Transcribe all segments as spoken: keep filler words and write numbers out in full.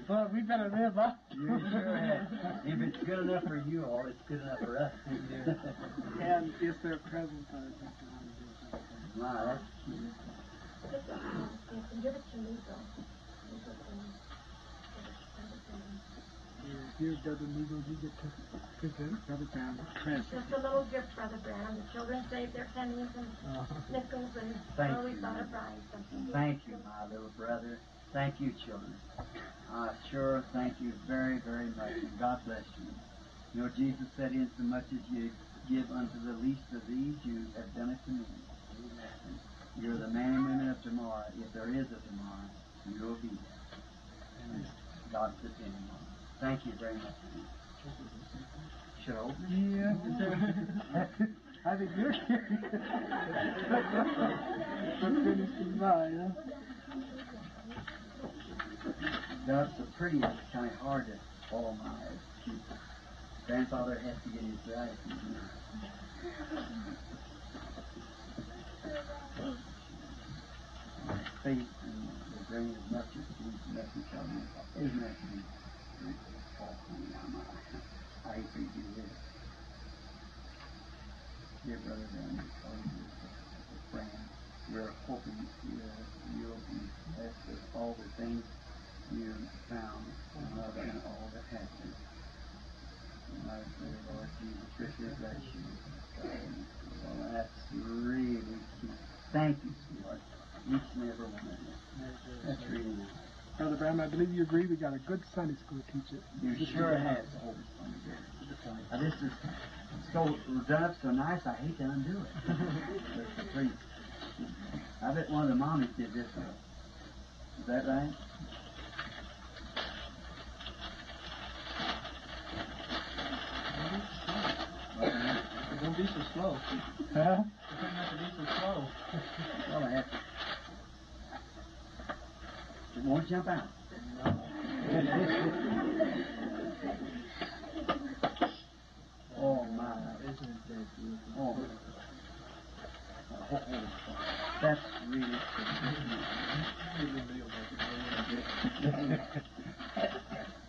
Well, we better live up. You sure have. If it's good enough for you all, it's good enough for us. And if they're present, I think they want to do something. Wow, that's cute. You can give it to me, though. You can give it to Brother Bram. Here, Brother Neagle, you get to present Brother Bram's present. Just a little gift, Brother Bram. The children saved their pennies and nickels, and Thank so we you. thought of buying something. Thank you, my little brother. Thank you, children. I sure thank you very, very much, and God bless you. You know, Jesus said, insomuch as you give unto the least of these, you have done it to me. Amen. You're the man and women of tomorrow. If there is a tomorrow, you'll be there. And God's depending on it. Thank you very much. Should I open it? Yeah. I think you're curious. But finish mine, huh? That's so pretty, it's kind of hard to follow my eyes. Grandfather has to get his glasses. Faith and the grain of mustard seed, nothing shall be. Isn't that sweet? I hate for you to do this. Dear brother, and friend, we're hoping you'll be blessed with all the things you found and love and all that happened. And I pray, Lord Jesus, richly bless you. Well, that's really cute. Thank you, sweetheart. Each and every one of you. That's really nice. Brother Bram, I believe you agree we got a good Sunday school teacher. You sure have. Now, this is so done up so nice, I hate to undo it. But please. I bet one of the mommies did this one. Is that right? Don't be so slow. Huh? Try not to be so slow. Well, I have to. It won't jump out. Oh, my. Isn't that beautiful? Oh. Oh, that's really cool.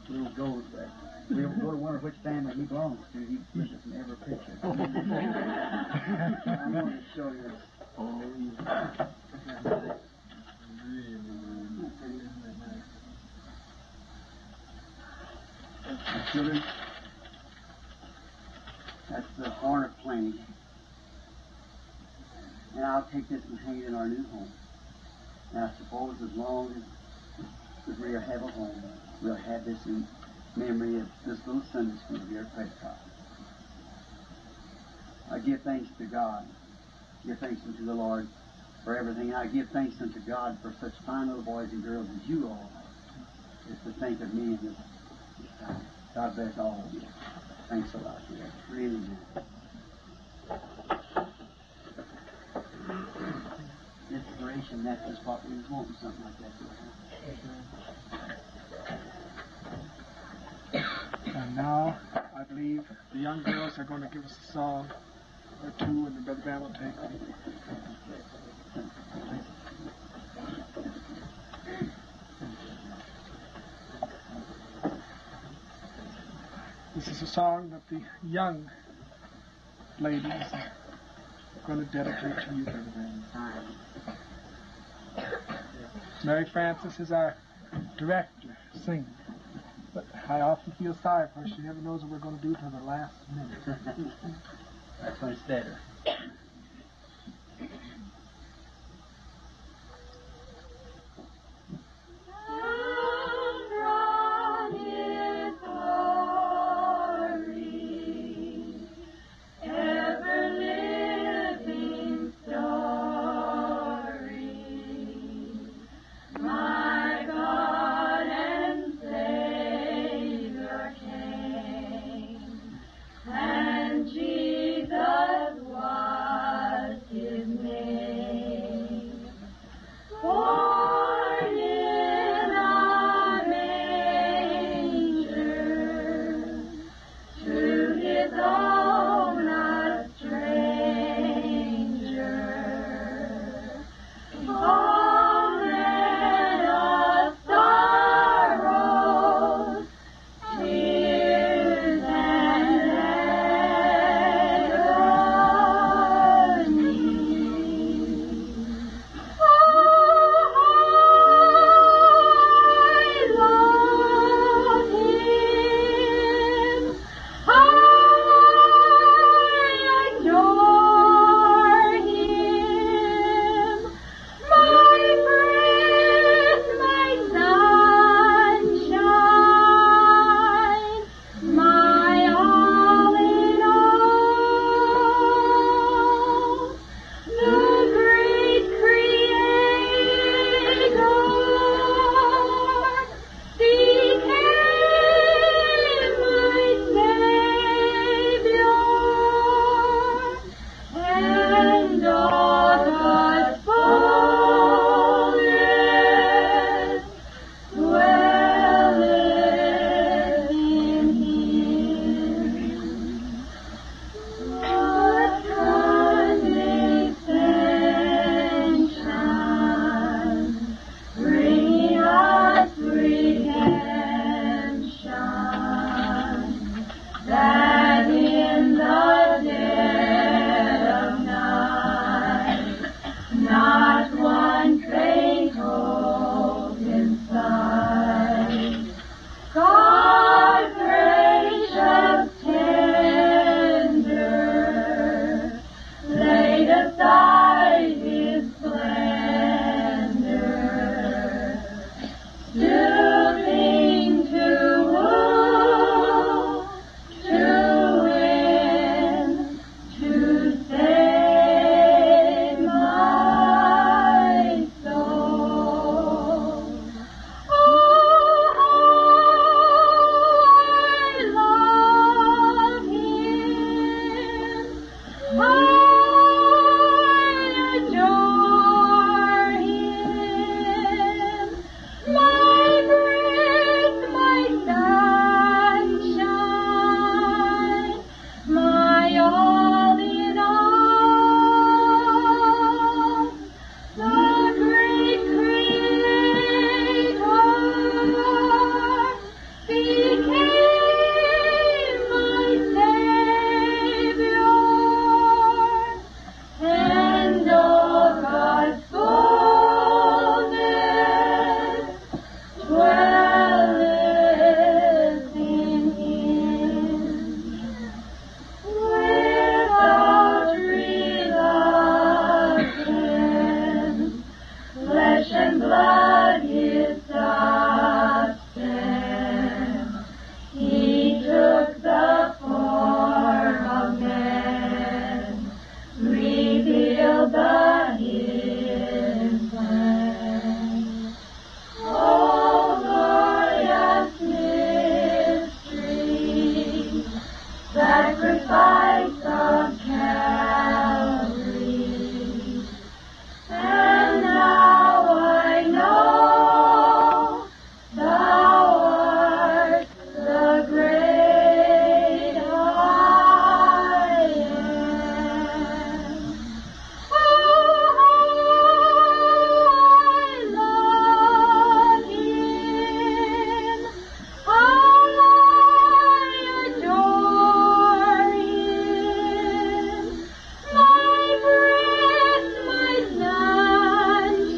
Little gold there. We'll go to wonder which family he belongs to. He gives us in every picture. I want to show you. Oh, yeah. Really, really. Isn't that nice? Children, that's the horn of plenty. And I'll take this and hang it in our new home. And I suppose as long as we have a home, we'll have this in memory of this little Sunday school here at Prescott. I give thanks to God. Give thanks unto the Lord for everything. I give thanks unto God for such fine little boys and girls as you all are. Just to think of me in this, this time. God bless all of you. Thanks a lot. Yeah, really nice. Inspiration, that's just what we was wanting, something like that. And now, I believe the young girls are going to give us a song or two, and the Brother Bram will take them. This is a song that the young ladies are going to dedicate to you, Brother Bram. Mary Frances is our director, singer. But I often feel sorry for her. She never knows what we're going to do till the last minute. That's when it's better. From His glory, ever living story, my God and Savior came, and Jesus was. all the hidden plan. O glorious mystery, sacrifice of Calvary. And now I know thou art the great I am. Oh, how I love him. How I adore him. My breath, my sunshine,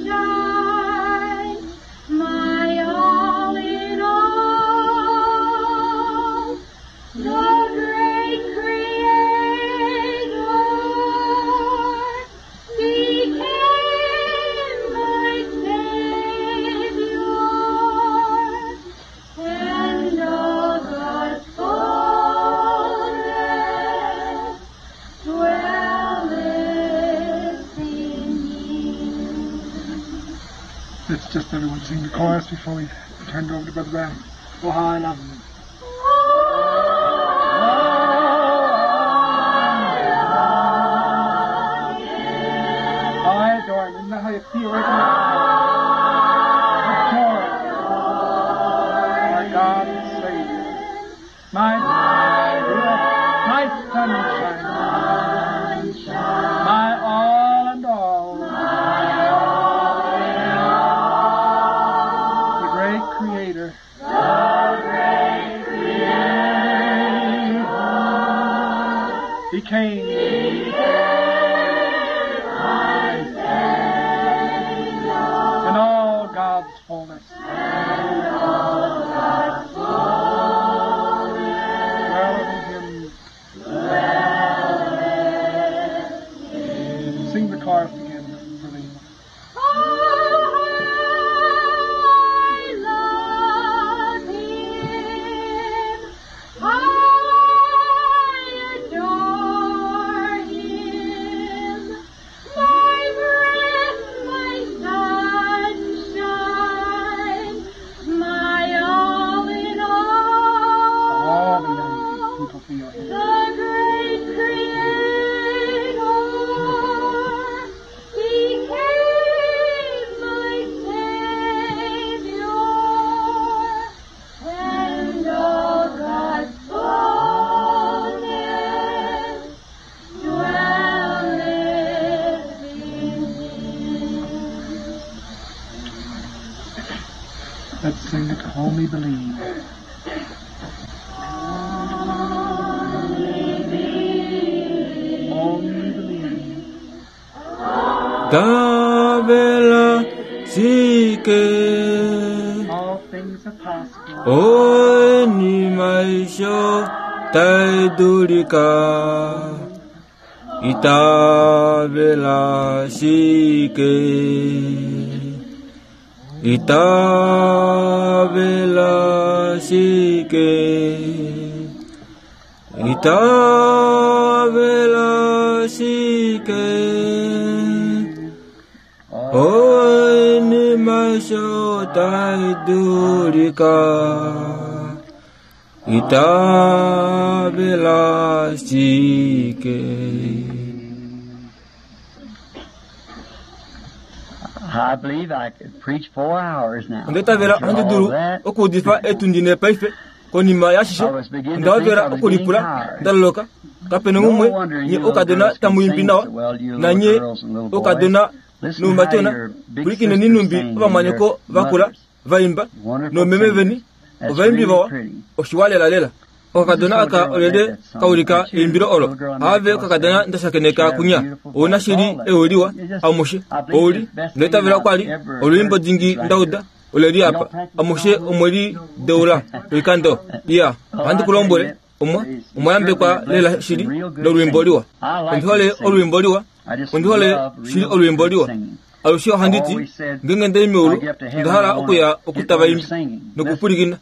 my all in all. The great Creator became my Savior, and all God's fullness dwelleth in him. Let's just everyone sing the chorus before we turn it over to Brother Brown. Oh, how I love him. I adore him. Isn't that how you feel right now? Adore him. Our God and Savior. My, my sunshine. My all and all. The great Creator. The great Creator. Became. In all God's fullness. Dwelleth in him. Sing the chorus again, Brother. Oh, I love him. I adore him. My breath, my sunshine, my all in All the young all. people feel here. The great Creator became my Savior, and all God's fullness dwelleth in him. Let's sing it, Only Believe. Only believe. Davela sike All things are possible. Oni maisho taidulika Itavela sike Itavela sike Itavela sike Oni maisho taidulika Itavela sike. I believe I could preach four hours now. Ondetavela After all ondidulu that, okuudifa etundine paife konima yashishe ndawavela okulipula ndaloloka kapena no umwe wonder nye you little okadona girls can tamuyimbi sing nawa so well, you little nanye girls and little boys. okadona Listen how noumatona your big pulikineni sisters numbi sing and ovamwanyoko your vakula mothers. vaimba Wonderful nomeme singers. veni That's ovaimbi really vawa pretty. oshiwalelalela okakadona aka olele kaulika eimbilo olo ave okakadona ndashakeneka kunya ouna shili eoliwa amushe ouli ndoitavela kwali olwiimbo dingi ndauda oleli apa amushe omweli deula oikando iya ohandi kulombwele omwa omwayambekwa lela shili lolwiimbo liwa ondihole olwiimbo liwa I just ondihole love shili real olwiimbo good liwa singing. alushe ohanditi ngenge ndeli meulu ndahala okuya okutava imbi nokupulikina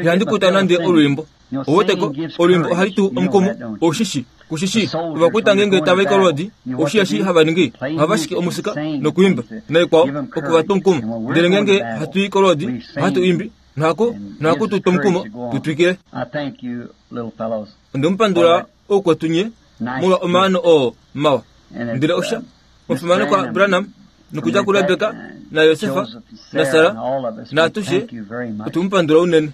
Ihandi kuta nande olwiimbo. Oweteko olwiimbo ohali tu omukumo oshishi kushishi ovakwita ngenge tava ikolodi oshiyashi hava ningi ohava shiki omusika nokuimba naikwao okuvatu omukumo. Ndele ngenge hatu ikolodi ohatu imbi nohaku nohaku tu omukumo tutwikile. Ondemupandula oukwetu nye molwa omaano oo mawa. Ndele osha omufimanekwa Branham nokudja kuRebeka naJosefa naSara naatushe otumupandula unene.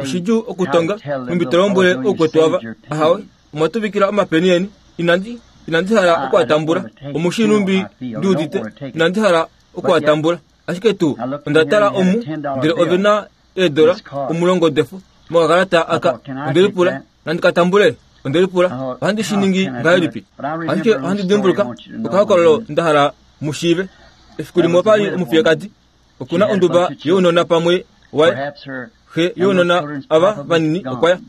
Oshidjuu okutonga nhumbi to lombwele oukwetu ava ahawe omwatuvikila omapeni eni inandi inandi hala okuatambula omushi nhumbi ndiudite inandi hala okuatambula ashike tuu onda tala omu ndele ove na eedola omulongo defo mokakalata aka ondelipula nandi katambule ondelipula ohandi shi ningi ngahelipi ashike ohandi dimbuluka okahokololo nda hala mushiive efiku limwe opali omufiyekadi okuna onduba younona pamwe waye xe younona ava vanini okwaya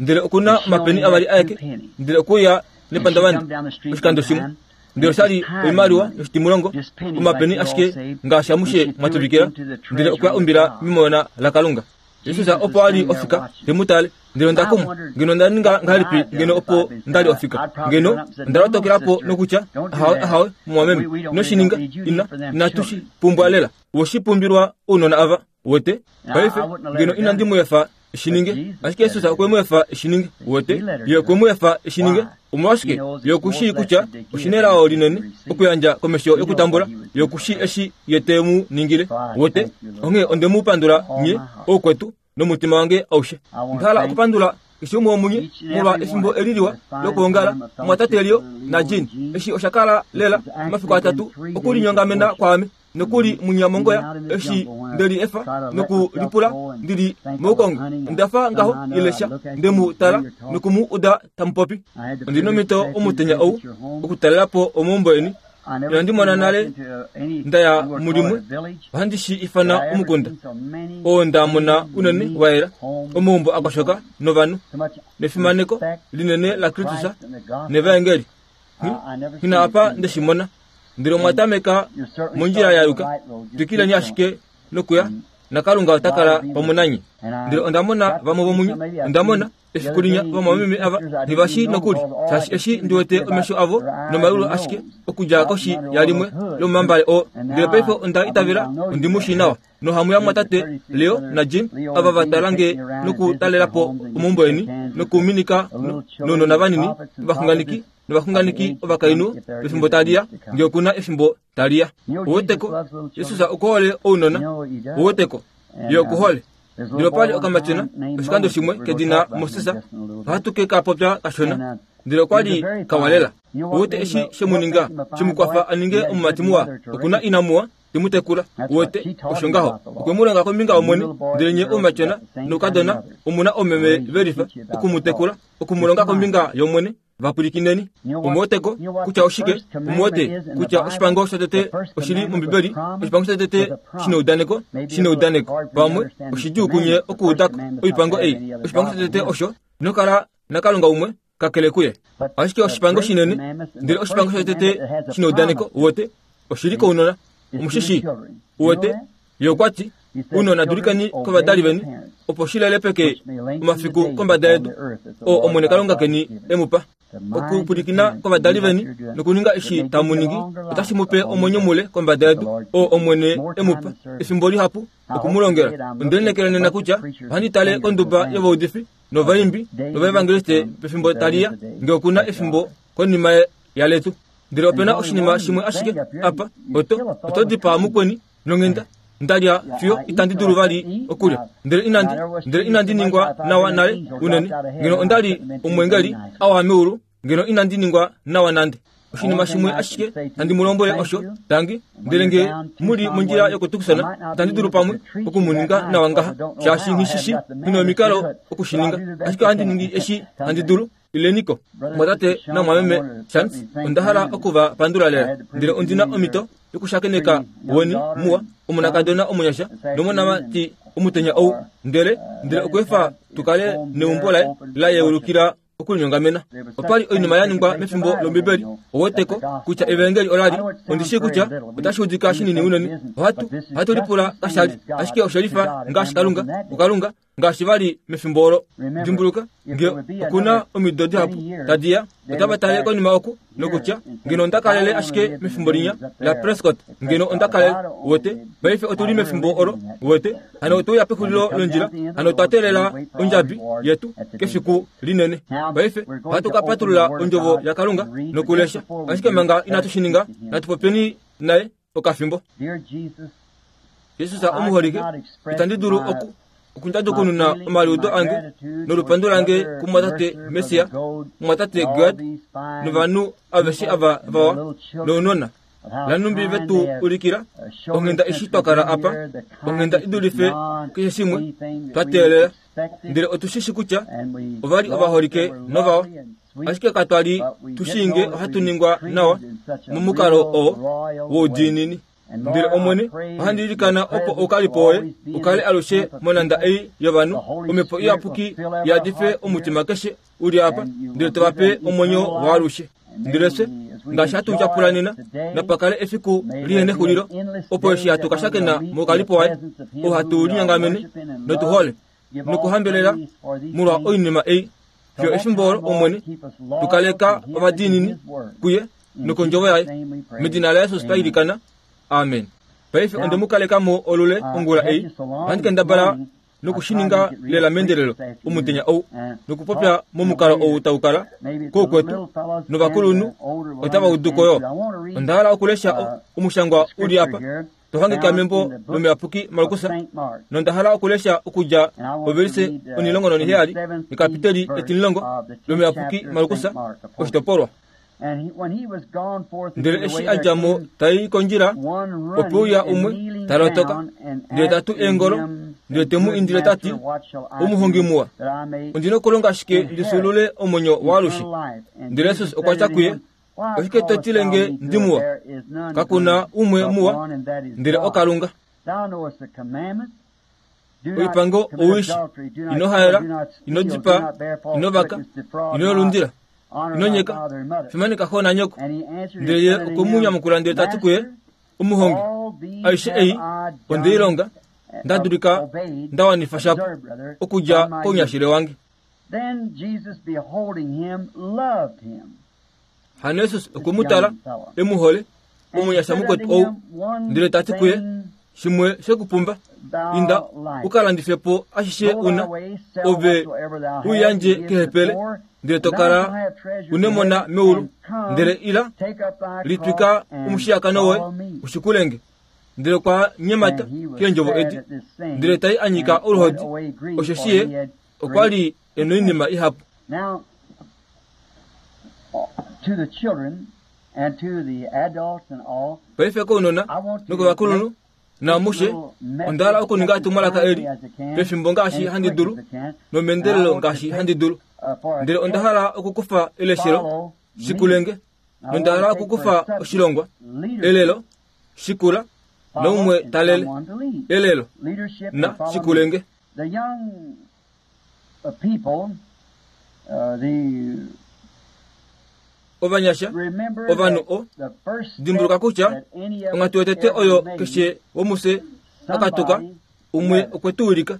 ndele okuna omapeni avali aeke ndele okuya nepandavandi oshikando shimwe ndele oshali oimaliwa yoshitimulongo omapeni ashike ngaashi amushe mwatuvikila ndele okuya umbila mimona laKalunga. Jesus opo ali ofika temutale ngeno ndakumwa ngeno ndaninga ngahelipi ngeno opo ndali ofika ngeno ndalotokelapo nokutya ahawe ahawe mumwameme noshininga ina inatushi pumbwa lela woshipumbilwa ounona ava wote paife ngeno inandi muefa shininge ashike Jesus okwe muefa shininge wote ye okwe muefa shininge omolwashike yokushi kutya oshinelao linene okuyandja komesho yokutambula yokushi eshi ye mu ningile wote onghee onde mu pandula nye oukwetu nomutima wange aushe. Ndahala okupandula keshe umwe womunye molwa efimbo eliliwa lokuongala mwatate Leo naJean eshi osha kala lela omafiku atatu okulinyongamena kwaame nokuli munyamongoya eshi ndeli efa nokulipula ndili moukongo ndafa ngaho ilesha ndemu tala nokumu uda tamupopi. Ondina omhito omutenya ou okutalelapo omaumbo eni inandi mona nale ndaya mulimwe ohandi shi ifana omukunda oo ndamona unene waela omaumbo akoshoka novanhu nefimaneko linene la Kristus nevaengeli ngina apa ndeshimona ndele omwatameka mondjila ya yuka twikileni ashike nokuya naKalunga ota kala pamwe nanye. Ndele ondamona vamwe vomunye ondamona efiku linya vamwameme ava ngivashi nokuli shaashi eshi ndiwete omesho avo nomalulu ashike okudja koshi yalimwe lomomambale oo ndele paife onda itavela ondimushi nawa nohamu ya mwatate Leo naJean ava vatalange nokutalelapo omaumbo eni nokuminika nounona vanini ovaxunganeki novaxunganeki ovakainhu pefimbo taliya ngee okuna efimbo taliya. Oweteko Jesus okuhole ounona oweteko ye okuhole. Ndele opali okamatyona oshikando shimwe kedina Moses ohatu ke ka popya kashona ndele okwali kawalela. Owete eshi shemuninga shemukwafa aninge omumati muwa okuna ina muwa temutekula wote osho ngaho okwe mu longa kombinga yOmwene ndele nye omatyona noukadona omuna omeme velifa okumutekula okumulonga kombinga yOmwene vapwilikineni. Omuweteko kutya oshike omuwete kutya oshipango shotete oshili mOmbibeli oshipango shotete shineudaneko shineudaneko pamwe oshidjuu kunye okuudako oipango ei. Oshipango shotete osho inokala naKalunga umwe kakele kuye ashike oshipango shinene ndele oshipango shotete shineudaneko wote oshili kounona omushishi wote ye okwati unona dulikeni kovadali veni opo shilelepeke omafiku kombada yedu oo Omwene Kalunga keni emupa. Okupwilikina kovadali veni nokuninga eshi tamu ningi otashi mupe omwenyo mule kombada yedu oo Omwene emupa efimbo lihapu okumulongela. Onde nena kutya ohandi tale konduba yovaudifi novaimbi novaevangeliste pefimbo taliya ngee okuna efimbo konima yaletu. Ndele opena oshinima shimwe ashike apa oto oto dipaa mukweni nonghenda ndalya fiyo itandi dulu vali okulya ndele inandi ndele inandi ningwa nawa nale unene ngeno ondali omwengeli awa meulu ngeno inandi ningwa nawa nande. Oshinima shimwe ashike handi mu lombwele osho tangi ndele nge muli mondjila yokutukusana itandi dulu pamwe okumuninga nawa ngaha shaashi nghishishi ngina omikalo okushininga ashike ohandi ningi eshi handi dulu. Ileniko mwatate namwameme Chance onda hala okuva pandula lela ndele ondina omhito yokushakeneka weni muwa omonakadona omunyasha nomonamati omutenya ou ndele ndele okweefa tukale neumbo laye la yeulukila okulinyongamena. Opali oinima ya ningwa mefimbo lOmbibeli oweteko kutya evangeli olali ondishi kutya otashi udika shinini unene ohatu ohatu lipula kashali ashike oshelifa ngaashi Kalunga kuKalunga ngaashi vali mefimbo olo. Dimbuluka nge okuna omido dihapu tadiya otava tale konima oku nokutya ngeno onda kalele ashike mefimbo linya la Prescott, ngeno onda kalele wete. Paife otuli mefimbo olo wete, hano otouya pexulilo londjila, hano otwa teelela ondjabi yetu kefiku linene. Paife ohatu ka patulula ondjovo yaKalunga nokulesha, ashike manga inatu shi ninga, natu popyeni naye okafimbo. Jesus omuholike, itandi dulu oku okundadukununa omaliudo ange nolupandu lange kumwatate Mesia, mwatate Gad, novanhu aveshe ava vawa nounona lanumbi vetu ulikila onghenda eshi twakala apa, onghenda idulife keshe shimwe twa teelela, ndele otushishi kutya ovali ovaholike novawa, ashike katwali tushinge ohatu ningwa nawa momukalo oo woudiinini. Ndele Omwene, ohandi ilikana opo oukalipo woye ukale alushe monanda ei yovanhu, omhepo iyapuki yadife omutima keshe uli apa, ndele tovape omwenyo waalushe. Ndele fye ngaashi hatu tyapula nena, napakale efiku lihene xulilo, opo eshi hatu ka shakena moukalipo waye, oo hatu linyangamene notuhole nokuhambelela molwa oinima ei. Fiyo efimbo olo, Omwene, tukaleka ovadiinini kuye nokondjovo yaye. Medina laJesus twa ilikana. Amen. Paife onde mu kaleka mo olule ongula ei, ohandi kendabala nokushininga lela mendelelo omutenya ou, nokupopya momukalo ou taukala koukwetu novakulunhu otava uduko yo. Onda hala okulesha omushangwa uli apa tohangika membo lomuyapuki Markus, nonda hala okulesha okudja ovelise onilongo noniheyali nekapiteli etilongo lomuyapuki Markus oshitopolwa. Ndele eshi a dja mo tai kondjila, ope uya umwe talotoka, ndele tatu eengolo, ndele temu indile tati, omuhongi muwa, ondina okulonga ashike ndisulule omwenyo waalushe. Ndele Jesus okwa tya kuye, oshike to tile nge ndi muwa? Kakuna umwe muwa, ndele oKalunga. Oipango owishi, ino haela, ino dipaa, ino vaka, ino lundila, ino nyeka, fimaneka xo nanyoko. Ndele ye okwe mu nyamukula ndele tati kuye, omuhongi, aishe ei ondeilonga, nda dulika nda wanifa shapo okudja kounyashile wange. Hano Jesus okwe mu tala e mu hole, omunyasha mukwetu ou, ndele tati kuye, shimwe shekupumba, inda ukalandife po ashishe una, ove uyandje kehepele, ndele tokala unemona meulu, ndele ila litwika omushiyakano woye ushikulenge. Ndele kwa nyemata keendjovo edi, ndele tai anyika oluhodi, osheshi ye okwa li e noinima ihapu. Paife kounona nokovakulunhu naamushe, onda hala okuninga etumwalaka eli pefimbo ngaashi handi dulu nomeendelelo ngaashi handi dulu. Ndele onda hala okukufa eleshelo shikulenge, nonda hala okukufa oshilongwa elelo shikula noumwe talele elelo na shikulenge. Ovanyasha ovanhu o dimbuluka kutya onghatu yotete oyo keshe womufye akatuka, umwe okwe tu ulika.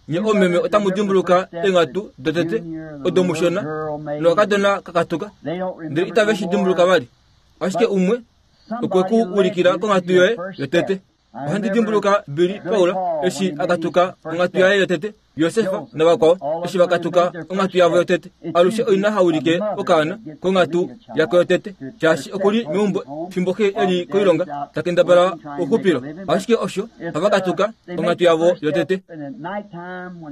Nye omeme otamu dimbuluka eenghatu dotete odo mushona nokakadona kakatuka, ndele itave shi dimbuluka vali, ashike umwe okwe ku ulikila konghatu yoye yotete. Ohandi dimbuluka Billy Paul eshi akatuka onghatu yaye yotete, Josefa navakwao eshi vakatuka onghatu yavo yotete. Alushe oina haulike okaana konghatu yako yotete, shaashi okuli meumbo fimbo xe eli koilonga takendabala ouxupilo, ashike osho havakatuka onghatu yavo yotete.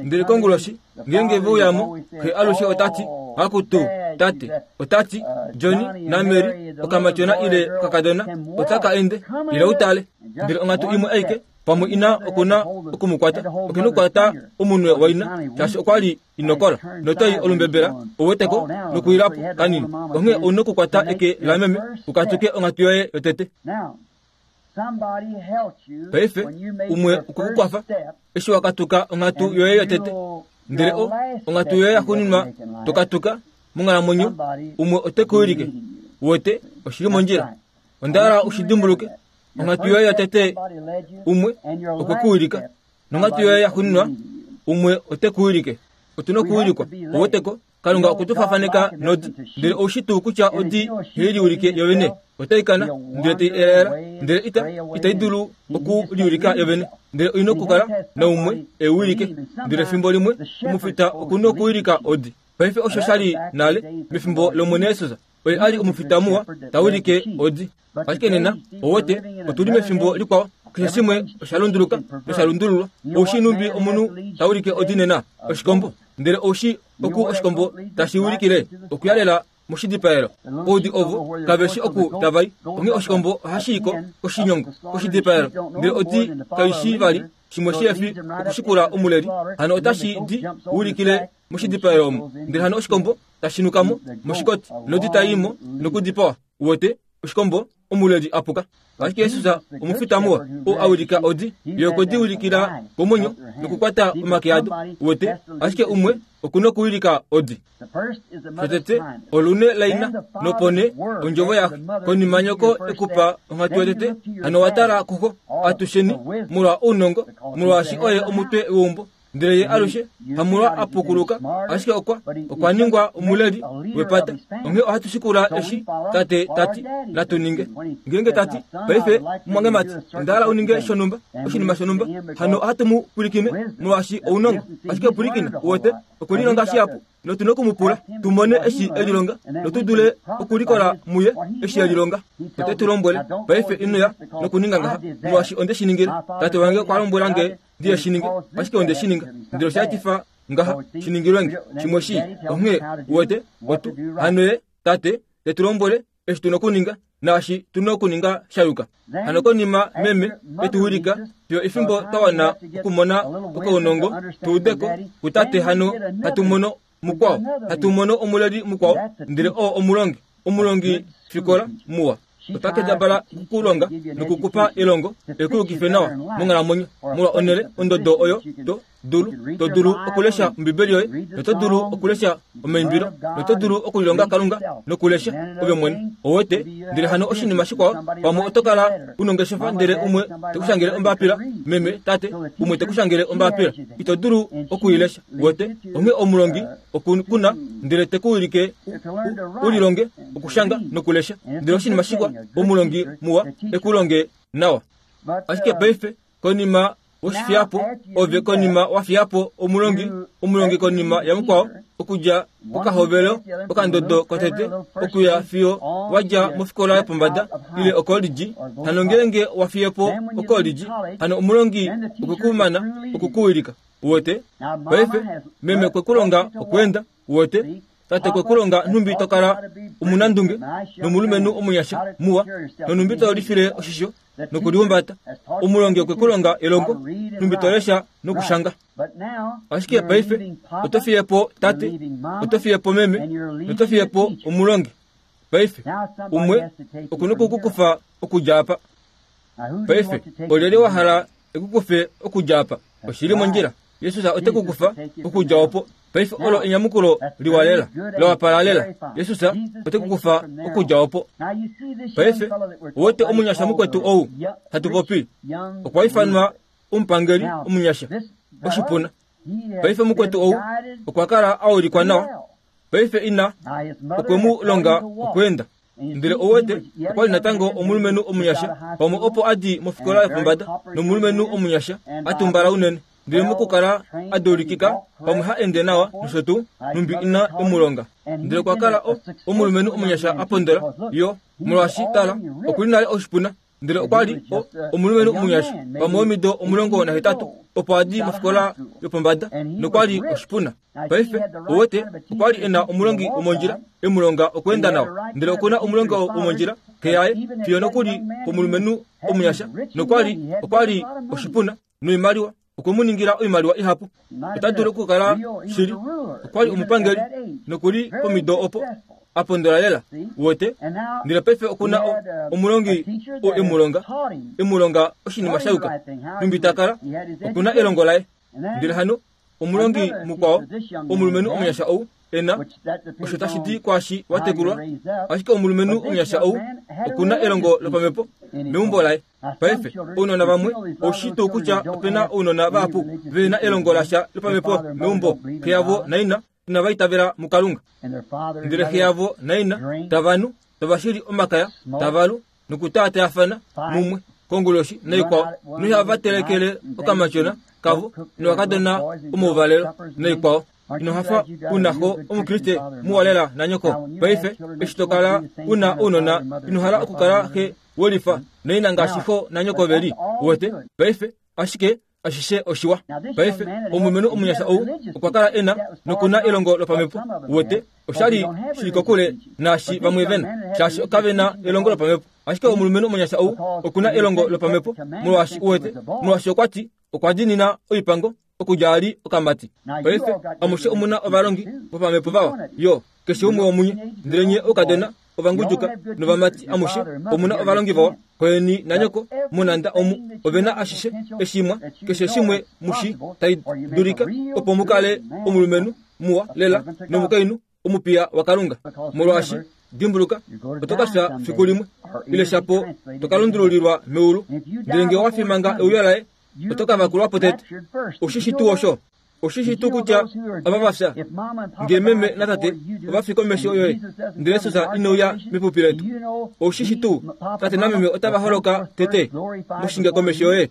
Ndele konguloshi ngeenge veuyamo, xe alushe otati, akutu tate, otati Johnny naMary okamatyona ile okakadona otaka ende, ila utale. Ndele onghatu imwe aike pamwe ina okuna okumukwata, okena okukwata omunwe waina, shaashi okwa li inokola notai olumbebela oweteko nokuilapo kanini. Onghee ouna okukwata eke lameme ukatuke onghatu yoye yotete. Paife umwe okukukwafa eshi wakatuka onghatu yoye yotete, ndele o onghatu yoye yaxuuninwa tokatuka monghalamwenyo, umwe ote ku wilike wete oshili mondjila. Onda hala ushidimbuluke, onghatu yoye yotete umwe okwe ku wilika, nonghatu yoye yaxuuninwa Umwe ote ku wilike. Otu na okuwilikwa. Oweteko Kalunga okwe tu fafaneka nodi, ndele oushi tuu kutya odi ihai liulike yovene. Otai kana ndele tai elaela, ndele ita itai dulu okuliulika yovene, ndele oina okukala naumwe e wilike. Ndele fimbo limwe omufita oku na okuwilika odi. Paife osho sha li nale mefimbo lOmwene Jesus, oye a li omufita muwa ta wilike odi. Ashike nena owete otuli mefimbo likwao, keshe shimwe osha lunduluka nosha lundululwa. Oushi numbi omunhu ta wilike odi nena oshikombo, ndele oushi oku oshikombo tashi wilikile okuyalela moshidipaelo. Oudi ovo kaveshi oku tavai, onghee oshikombo ohashi iko koshinyongo koshidipaelo, ndele odi kaishi vali shimwe shihefi okushikula omuleli. Hano otashi di wilikile moshidipaelo omo, ndele hano oshikombo tashi nukamo moshikoti nodi tai mo nokudipawa. Uwete oshikombo omuleli apuka. Ashike Jesus omufita muwa oo a wilika odi, ye okwe di wilikila komwenyo nokukwata omake ado. Uwete, ashike umwe oku na okuwilika odi. Shotete olune laina, nopone ondjovo yaxe. Konima nyoko ekupa onghatu yotete, hano wa tala kuxo atusheni molwa ounongo, molwaashi oye omutwe weumbo. Ndele ye alushe hamolwa a pukuluka, ashike okwa okwa ningwa omuleli wepata. Onghee ohatu shikula eshi tate tati natu ninge. Ngeenge tati paife mumwangemati onda hala uninge shonhumba, oshinima shonhumba, hano ohatu mu pwilikine molwaashi ounongo. Ashike pwilikina, uwete okwe lilonga shihapu notu na okumupula tumone eshi e lilonga notu dule okulikola muye eshi e lilonga. Ote tu lombwele paife ino ya nokuninga ngaha molwaashi onde shi ningile. Tate wange okwa lombwela nge ndiye shi ninge, ashike onde shi ninga, ndele osha etifa ngaha shi ningilwe nge shimwe shii. Onghee uwete otu hano ye tate te tu lombwele eshi tu na okuninga naashi tu na okuninga sha yuka. Hano konima meme e tu wilika fiyo efimbo twa wana okumona okaunongo tu udeko kutate, hano hatu mono mukwao, hatu mono omuleli mukwao, ndele oo omulongi, omulongi fikola muwa. Ota kendabala okukulonga nokukupa elongo ekuyukife nawa monghalamwenyo molwa onhele ondodo oyo to dulu to dulu okulesha Ombibeli yoye, noto dulu okulesha omaimbilo, noto dulu okulilonga Kalunga nokulesha ove mwene. Owete, ndele hano oshinima shikwao, pamwe oto kala unongeshefa ndele umwe tekushangele ombapila, meme tate umwe tekushangele ombapila, ito dulu okuilesha. Uwete, onghee omulongi okuna ndele tekuwilike ulilonge okushanga nokulesha, ndele oshinima shikwa omulongi muwa ekulonge nawa. Ashike paife konima woshifiyapo ove konima wafiyapo omulongi, omulongi konima yamukwao, okudja pokahovelo okandodo kotete okuya fiyo wadja mofikola yopombada ile okolidji. Hano ngeenge wafiyepo okolidji, hano omulongi okwekumana okukuwilika. Uwete, paife meme okwe kulonga okweenda. Uwete, tate okwe kulonga nhumbi to kala omunandunge nomulumenhu omunyasha muwa, nonhumbi to lifile oshisho nokulihumbata. Omulongi okwe kulonga elongo nhumbi to lesha nokushanga. Ashike paife oto fiyepo tate, oto fiyepo meme, noto fiyepo omulongi. Paife umwe oku na okukukufa okudja apa. Paife olyelye wa hala ekukufe okudja apa? Oshili mondjila, Jesus ote kukufa okudja opo. Paife olo enyamukulo liwa lela, la wapala lela. Jesus ote kukufa okudja opo. Paife uwete omunyasha mukwetu ou hatu popi, okwa ifanwa omupangeli omunyasha oshipuna. Paife mukwetu ou okwa kala a ulikwa nawa. Paife ina okwe mu longa okweenda, ndele owete okwa li natango omulumenhu omunyasha, pamwe opo a di mofikola yopombada, nomulumenhu omunyasha a tumbala unene, ndele mokukala a dulikika pamwe ha ende nawa nosho tuu, nhumbi ina emulonga. Ndele okwa kala omulumenhu omunyasha a pondola yo, molwaashi tala okuli nale oshipuna, ndele okwa li omulumenhu omunyasha pamwe womido omulongo nahetatu opo a di mofikola yopombada, nokwa li oshipuna. Paife owete okwa li e na omulongi womondjila emulonga okweenda nawa, ndele okuna omulongi womondjila keyaye fiyo nokuli pomulumenhu omunyasha, nokwa li okwa li oshipuna noimaliwa okwe mu ningila oimaliwa ihapu. Ota dulu okukala shili okwa li omupangeli nokuli pomido opo a pondola lela. Uwete, ndele paife okuna omulongi oo emulonga emulonga oshinima sha yuka nhumbi ta kala, okuna elongo laye. Ndele hano omulongi mukwao omulumenhu omunyasha ou ena osho tashi di kwaashi watekulwa ashike omulumenhu omunyasha ou okuna elongo lopamhepo meumbo laye. Paife ounona vamwe oushi tuu kutya opena ounona vahapu vena elongo lasha lopamhepo meumbo, xe yavo naina inava itavela muKalunga, ndele xe yavo naina tavanu tavashili omakaya tavalu nokutaatayafana mumwe konguloshi naikwao noihava telekele okamatyona kavo novakadona omouvalelo naikwao. Ino hafa una xo omukriste muwalela nanyoko. Paife eshi tokala una ounona ino hala okukala xe welifa naina ngaashi xo nanyoko veli uwete. Paife ashike ashishe oshiwa. Paife omulumenhu omunyasha ou okwa kala ena nokuna elongo lopamhepo uwete, oshali shili kokule naashi vamwe vena shaashi kavena elongo lopamhepo. Ashike omulumenhu omunyasha ou okuna elongo lopamhepo molwaashi uwete, molwaashi okwati okwa dinina oipango okudja ali okamati. Paife amushe omuna ovalongi vopamhepo vawa yo keshe umwe womunye, ndele nye oukadona ovangudjuka novamati amushe omuna ovalongi vawa koyeni nanyoko munanda omu ovena ashishe eshimwa keshe shimwe mushi tai dulika opo mukale omulumenhu muwa lela nomukainhu omupiya waKalunga. Molwaashi dimbuluka oto ka fya fiku limwe ile shapo toka lundululilwa meulu, ndele ngee owa fimanga euyo laye oto ka vakulwapo tete. Oshishi tuu osho? Oshishi tuu kutya ava vafya ngee meme natate ova fi komesho yoye ndele Jesus ineuya mepupi letu? Oshishi tuu tate nameme otava holoka tete moshinge komesho yoye?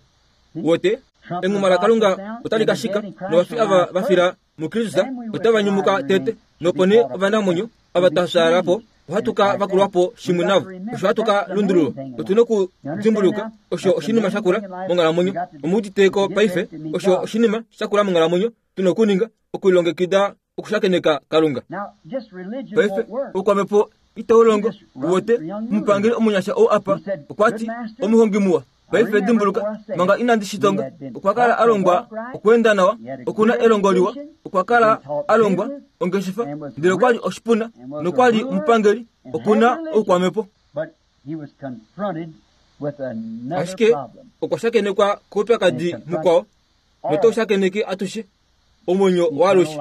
Wote enguma laKalunga otali ka shika novafi ava vafila muKristus otava nyumuka tete, nopo nee ovanamwenyo ava tafyaalapo ohatu ka vakulwapo shimwe navo. Osho hatu ka lundululwa. Otuna okudimbuluka osho oshinima shakula monghalamwenyo. Omuuditeko paife osho oshinima shakula monghalamwenyo tuna okuninga okulilongekida okushakeneka Kalunga. Paife oukwamhepo itau longo uwete. Omupangeli omunyasha ou apa okwati omuhongi muwa. Paife dimbuluka manga inandi shitonga okwa kala alongwa okweenda nawa, okuna elongo liwa, okwa kala alongwa ongeshefa, ndele okwali oshipuna nokwali omupangeli, okuna oukwamhepo. Ashike okwa shakenekwa koupyakadi mukwao notou shakeneke atushe omwenyo waalushe.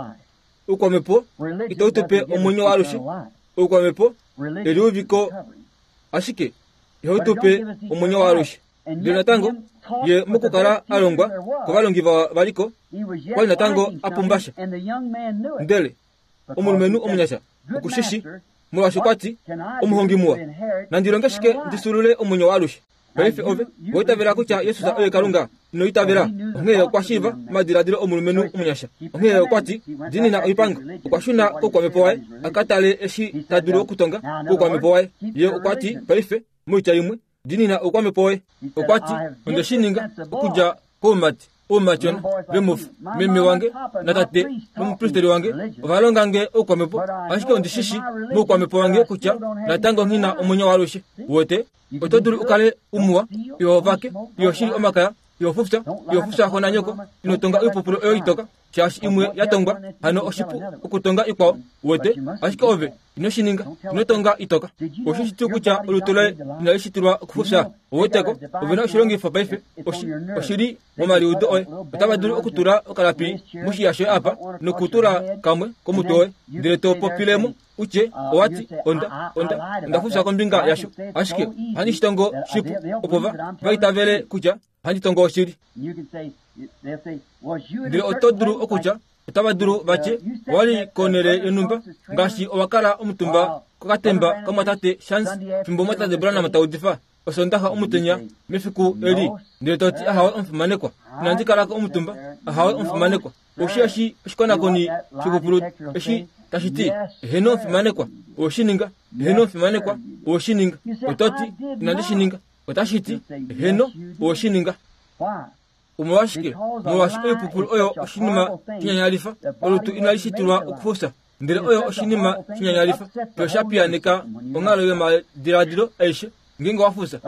Oukwamhepo itau tupe omwenyo waalushe. Oukwamhepo eliuviko ashike ihau tupe omwenyo waalushe. Ndele natango ye mokukala alongwa kovalongi vawa valiko kwali natango apumbasha. Ndele omulumenhu omunyasha okushishi molwaashi okwati omuhongi muwa, nandilonge shike ndisulule omwenyo waalushe? Paife ove oitavela kutya Jesus oye Kalunga? Ino itavela? Onghee okwa shiiva omadiladilo omulumenhu omunyasha. Onghee okwati dinina oipango. Okwa shuna koukwamhepo waye a ka tale eshi ta dulu okutonga koukwamhepo waye. Ye okwati paife moitya imwe dinina oukwamhepo woye. Okwati onde shi ninga okudja koumati oumatyona vemufu meme wange natate nomupristeri wange ovalonga nge oukwamhepo, ashike ondishishi moukwamhepo wange kutya natango nghina omwenyo waalushe. Wote oto dulu ukale umuwa iho vake iho shili omakaya iho fufya iho fufya xo nanyoko ino tonga oipupulu oyo itoka shaashi imwe ya tongwa hano oshipu okutonga ikwao. Wote ashike ove ino shi ninga, ino tonga itoka. Oshishi tuu kutya olutu loye inali shitilwa okufufya? Oweteko ovena oshilongifo paife oshili momaliudo oye. Otava dulu okutula okalapi moshiya shoye apa nokutula kamwe komutwe woye ndele to popilemo utye owati onda onda onda fufya kombinga yasho, ashike ohandi shitongo shipu opo va vaitavele kutya ohandi tongo oshili. Ndele oto dulu okutya otava dulu vatye owali konele yonhumba ngaashi owakala omutumba kokatemba kamwatate Shans fimbo mwatate Branham taudifa osondaxa omutenya mefiku eli, ndele toti ahawe omufimanekwa, inandi kalako omutumba, ahawe omufimanekwa. Oshi eshi oshikonakoni shipupulu eshi tashi ti eheno omufimanekwa oweshininga, eheno omufimanekwa oweshininga. Ototi inandi shininga, otashi ti eheno oweshininga. Omolwashike? Molwaashi oipupulu oyo oshinima shinyanyalifa. Olutu inali shitilwa okufufya, ndele oyo oshinima shinyanyalifa. Yo sha piyaneka onghalo yomadiladilo aishe ngeenge wafufya,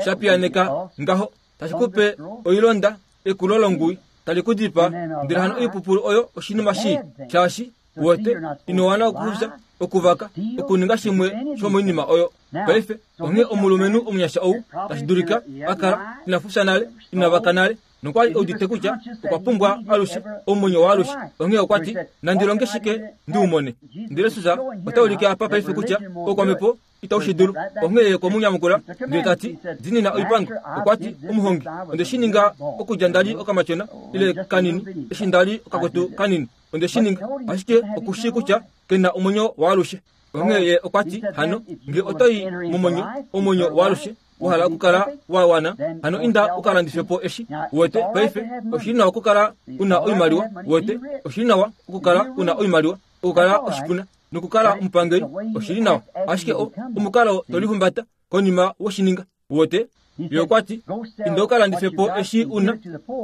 sha piyaneka ngaho tashi kupe oilonda ekulo longui tali ku dipa. Ndele hano oipupulu oyo oshinima shii shaashi wote ino wana okufufya okuvaka okuninga shimwe shomoinima oyo. Paife onghee omulumenhu omunyasha ou tashi dulika a kala ina fufya nale, ina vaka nale, nokwali eudite kutya okwa pumbwa alushe omwenyo waalushe. Onghee okwa ti, nandi longe shike ndi umone? Ndele Jesus ota ulike apa paife kutya oukwamhepo itau shi dulu. Onghee ye okwe ndele ta ti, diinina oipango. Okwa ti, omuhongi, onde shi ninga okudja ndali okamatyona ile kanini, eshi ndali okakwetu kanini, onde shi ninga. Ashike okushii kutya kena omwenyo waalushe. Onghee ye okwa ti, hano nge otoyi momwenyo, omwenyo waalushe wahala okukala wa wana, hano inda ukalandife po eshi uwete. Paife oshili nawa okukala una oimaliwa, uwete, oshili nawa okukala una oimaliwa, okukala oshipuna nokukala omupangeli, oshili nawa. Ashike omukalo tolihumbata konima woshininga, uwete. Ye okwa ti, inda ukalandife po eshi una,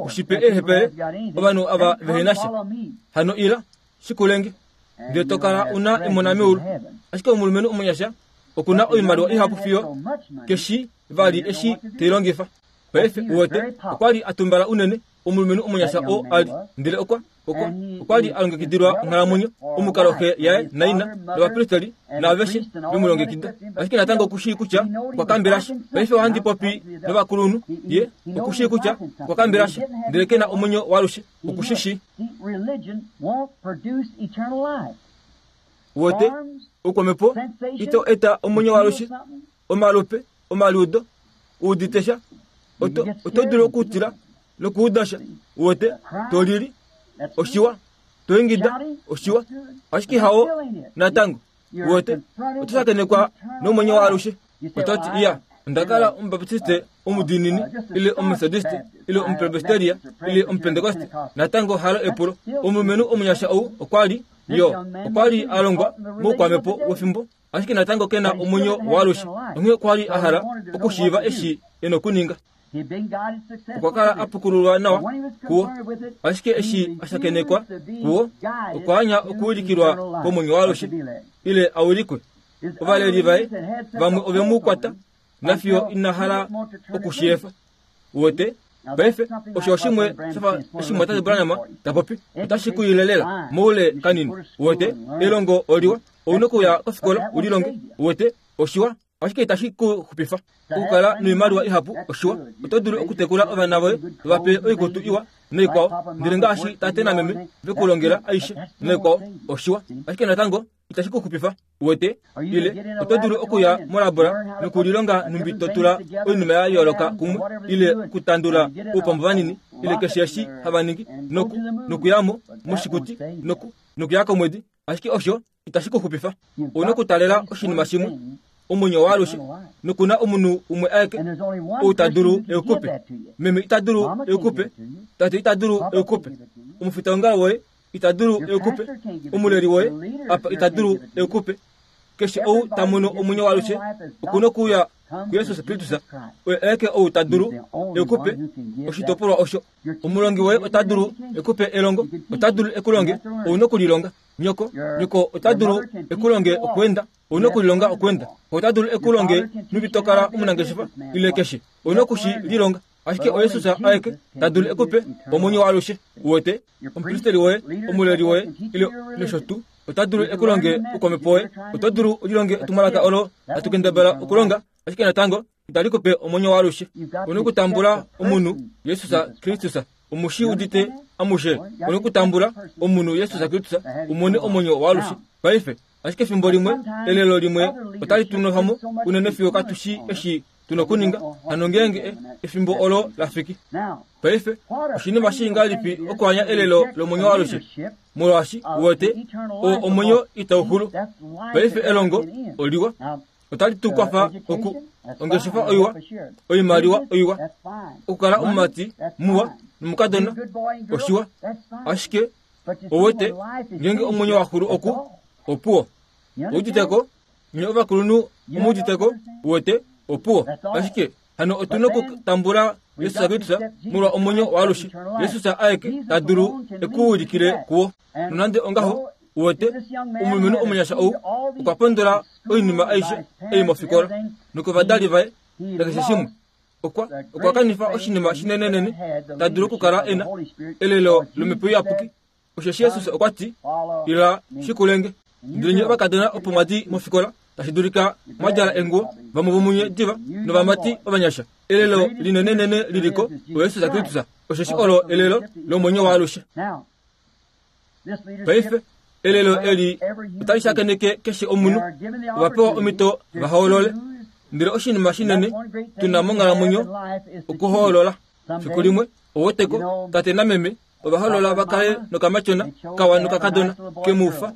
ushipe eehepele ovanhu ava vehena sha. Hano ila shikulenge, ndele tokala una emona meulu. Ashike omulumenhu omunyasha okuna oimaliwa ihapu fiyo keshi vali eshi teilongifa. Paife uwete, okwali atumbala unene omulumenhu omunyasha oo ali, ndele okwa okwa okwali alongekidilwa onghalamwenyo, omukalo xe yaye naina novapristeli naaveshe vemulongekida. Ashike natango okushii kutya okwa kambelasha. Paife ohandi popi novakulunhu, ye okushii kutya okwa kambelasha, ndele kena omwenyo waalushe, okushishi. Uwete, oukwamhepo ito eta omwenyo waalushe, omalupe, omaliudo, uuditesha, oto oto dulu okutila nokuudasha, uwete, tolili, oshiwa, toingida, oshiwa, ashike hao natango, uwete, oto shakenekwa nomwenyo waalushe. Ototi iya, ondakala omubaptiste omudiinini, ile omumethodiste, ile omupresbyteria, ile omupentekoste, natango halo epulo. Omulumenhu omunyasha ou okwali yo okwali alongwa moukwamhepo wefimbo, ashike natango kena omwenyo waalushe. Onghee okwali a hala okushiiva eshi ena okuninga. Okwa kala apukululwa nawa kuwo, ashike eshi ashakenekwa kuwo, okwa anya okuulikilwa komwenyo waalushe, ile aulikwe. Ovaleli vaye vamwe ovemu kwata, nafiyo ina hala okushiyefa. Uwete, paife osho shimwe shafa eshi Tate Branham ta popi, otashi kuilelela moule kanini. Uwete, elongo oliwa, ouna okuya kofikola ulilonge. Uwete, oshiwa, ashike itashi ku xupifa. Okukala noimaliwa ihapu oshiwa, oto dulu okutekula ovana voye vape oikutu iwa noikwao, ndele ngaashi tate nameme vekulongela aishe noikwao, oshiwa, ashike natango itashi ku xupifa. Uwete, ile oto dulu okuya molabora nokulilonga numbi to tula oinima ya yooloka kumwe, ile okutandula oupambu vanini, ile keshe eshi hava ningi, noku nokuyamo moshikuti noku nokuya komwedi, ashike osho itashi ku xupifa. Ouna okutalela oshinima shimwe, omwenyo waalushe, nokuna omunhu umwe aeke ou ta dulu eukupe. Meme ita dulu eukupe, tate ita dulu eukupe, omufitaongalo woye ita dulu eukupe, omuleli woye apa ita dulu eukupe. Keshe ou ta mono omwenyo waalushe okuna okuuya kuJesus Kristus, oye aeke ou ta dulu eukupe oshitopolwa osho. Omulongi woye ota dulu ekupe elongo, ota dulu ekulonge, ouna okulilonga. Nyoko, nyoko ota dulu ekulonge okwenda, ouna okulilonga okwenda. Ota dulu ekulonge numbi tokala omunangeshefa, ile keshe, ouna okushi lilonga. Ashike oJesus aeke ta dulu ekupe omwenyo waalushe. Uwete, omupristeli woye, omuleli woye, ile nosho tuu, ota dulu ekulonge oukwamhepo woye, oto dulu ulilonge etumwalaka olo hatu kendabala okulonga, ashike natango itali kupe omwenyo waalushe. Ouna okutambula omunhu Jesus Kristus, omushi udite amushe. Ouna okutambula omunhu Jesus Kristus umone omwenyo waalushe. Paife, ashike efimbo limwe, elelo limwe otali tunofamo unene fiyo katushi eshi tuna okuninga, hano ngeenge efimbo olo lafiki. Paife, oshinima shingalipi okuanya elelo lomwenyo waalushe, molwaashi uwete o omwenyo itau xulu. Paife elongo oliwa, otali tu kwafa oku ongeshefa oiwa, oimaliwa oiwa, okukala omumati muwa nomukadona oshiwa, ashike owete ngeenge omwenyo waxulu oku opuwo. Ouditeko nye ovakulunhu omuuditeko, uwete opuwo. Ashike hano otuna okutambula Jesus Kristus molwa omwenyo waalushe. Jesus aeke ta dulu ekuulikile kuwo. Nonande ongaho, uwete omulumenhu omunyasha ou okwa pondola oinima aishe ei mofikola nokovadali vaye nakeshe shimwe. Okwa okwa kanifa oshinima shinenenene ta dulu okukala ena elelo lomhepo iyapuki. Osheshi Jesus okwa ti, ila shikulenge. Ndele nye ovakadona opo mwadi mofikola tashi dulika mwadjala enguwo vamwe vomunye diva novamati ovanyasha. Elelo linenenene liliko oYesus Kristus, osheshi olo elelo lomwenyo waalushe. Paife elelo eli otali shakeneke keshe omunhu, ovapewa omhito vahoolole. Ndele oshinima shinene tuna monghalamwenyo okuhoolola. Fiku limwe oweteko tate nameme ovahoolola vakale nokamatyona kawa nokakadona kemufa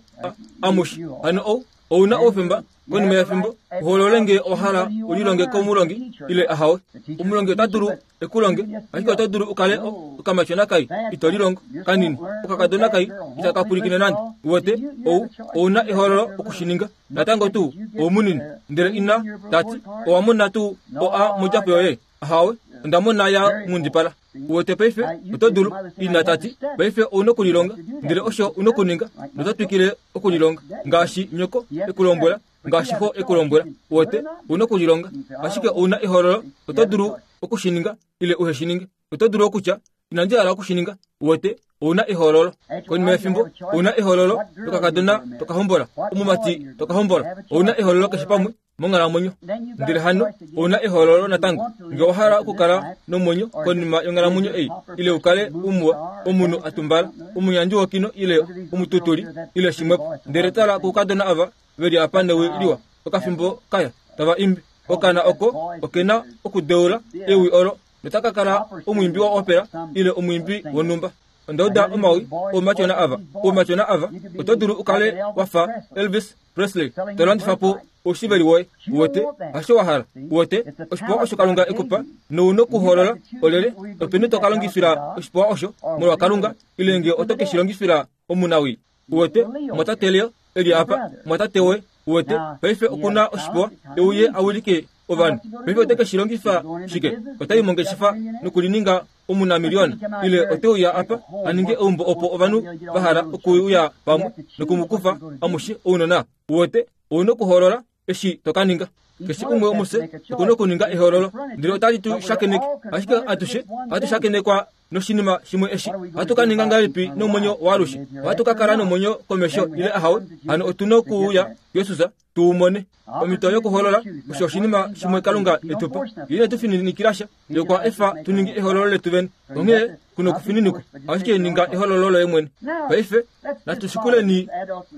amushe. Hano ou ouna oufemba konima yefimbo uhoolole ngee owahala ulilonge komulongi ile ahawe. Omulongi ota dulu ekulonge, ashike oto dulu ukale okamatyona kai ito lilongo kanini, okakadona kai itaka pwilikine nande. Uwete ou ouna ehoololo okushininga. Natango tuu oumunini. Ndele ina tati owamona tuu oa modjapo yoye? Ahawe, ondamona ya nghundipala. Uwete paife oto dulu, ina tati paife ouna okulilonga, ndele osho una okuninga noto twikile okulilonga ngaashi nyoko ekulombwela, ngaashi xo ekulombwela. Uwete ouna okulilonga, ashike ouna ehoololo, oto dulu okushininga ile uheshininge. Oto dulu okutya inandi hala okushininga. Uwete ouna ehoololo. Konima yefimbo ouna ehoololo lokakadona tokahombola, omumati tokahombola. Ouna ehoololo keshe pamwe monghalamwenyo. Ndele hano ouna ehoololo natango ngee owahala okukala nomwenyo konima yonghalamwenyo ei, ile ukale umuwa, omunhu atumbala, omunyandi wokino ile omututuli ile shimwepo. Ndele tala koukadona ava veli apa newi liwa okafimbo kaya tava imbi. Okana oko okena okudeula ewi olo notaka kala omwiimbi wa opera ile omwiimbi wonhumba. Ondauda omawi oumatyona ava, oumatyona ava oto dulu ukale wafa Elvis Presley to landifa po oushiveli woye. Uwete hasho wahala. Uwete oshipewa osho Kalunga ekupa nouna okuhoolola olele openi to ka longifila oshipewa osho molwa Kalunga ile ngee oto ke shi longifila omunawii. Uwete mwatate Leo eli apa, mwatate woye. Uwete paife okuna oshipewa euye awilike ovanhu. Paife ote ke shi longifa shike? Otai mongeshefa nokulininga omunamiliona, ile oteuya apa aninge eumbo opo ovanhu vahala okuuya pamwe nokumukufa amushe ounona. Uwete ouna okuhoolola eshi tokaninga. Keshe umwe womufye okuna okuninga ehoololo, ndele otali tu shakeneke. Ashike atushe ohatu shakenekwa noshinima shimwe eshi. Ohatu ka ninga ngahelipi nomwenyo waalushe? Ohatu ka kala nomwenyo komesho ile ahawe? Hano otuna okuuya Jesus tuumone. Omhito yokuhoolola osho oshinima shimwe Kalunga etupa. Ye ine tu fininikila sha, ye okwa efa tuninge ehoololo letu vene. Onghee kuna okufininikwa, ashike ninga ehoololo loye mwene. Paife natushikuleni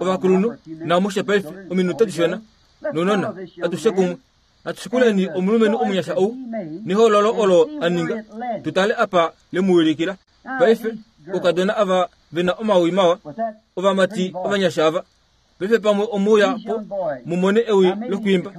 ovakulunhu namushe paife ominute dishona nounona atushe kumwe. Natushikuleni omulumenhu omunyasha ou nehoololo olo aninga, tutale apa lemuwilikila. Paife oukadona ava vena omawi mawa, ovamati ovanyasha ava, paife pamwe omuuya po mumone ewi lokwiimba.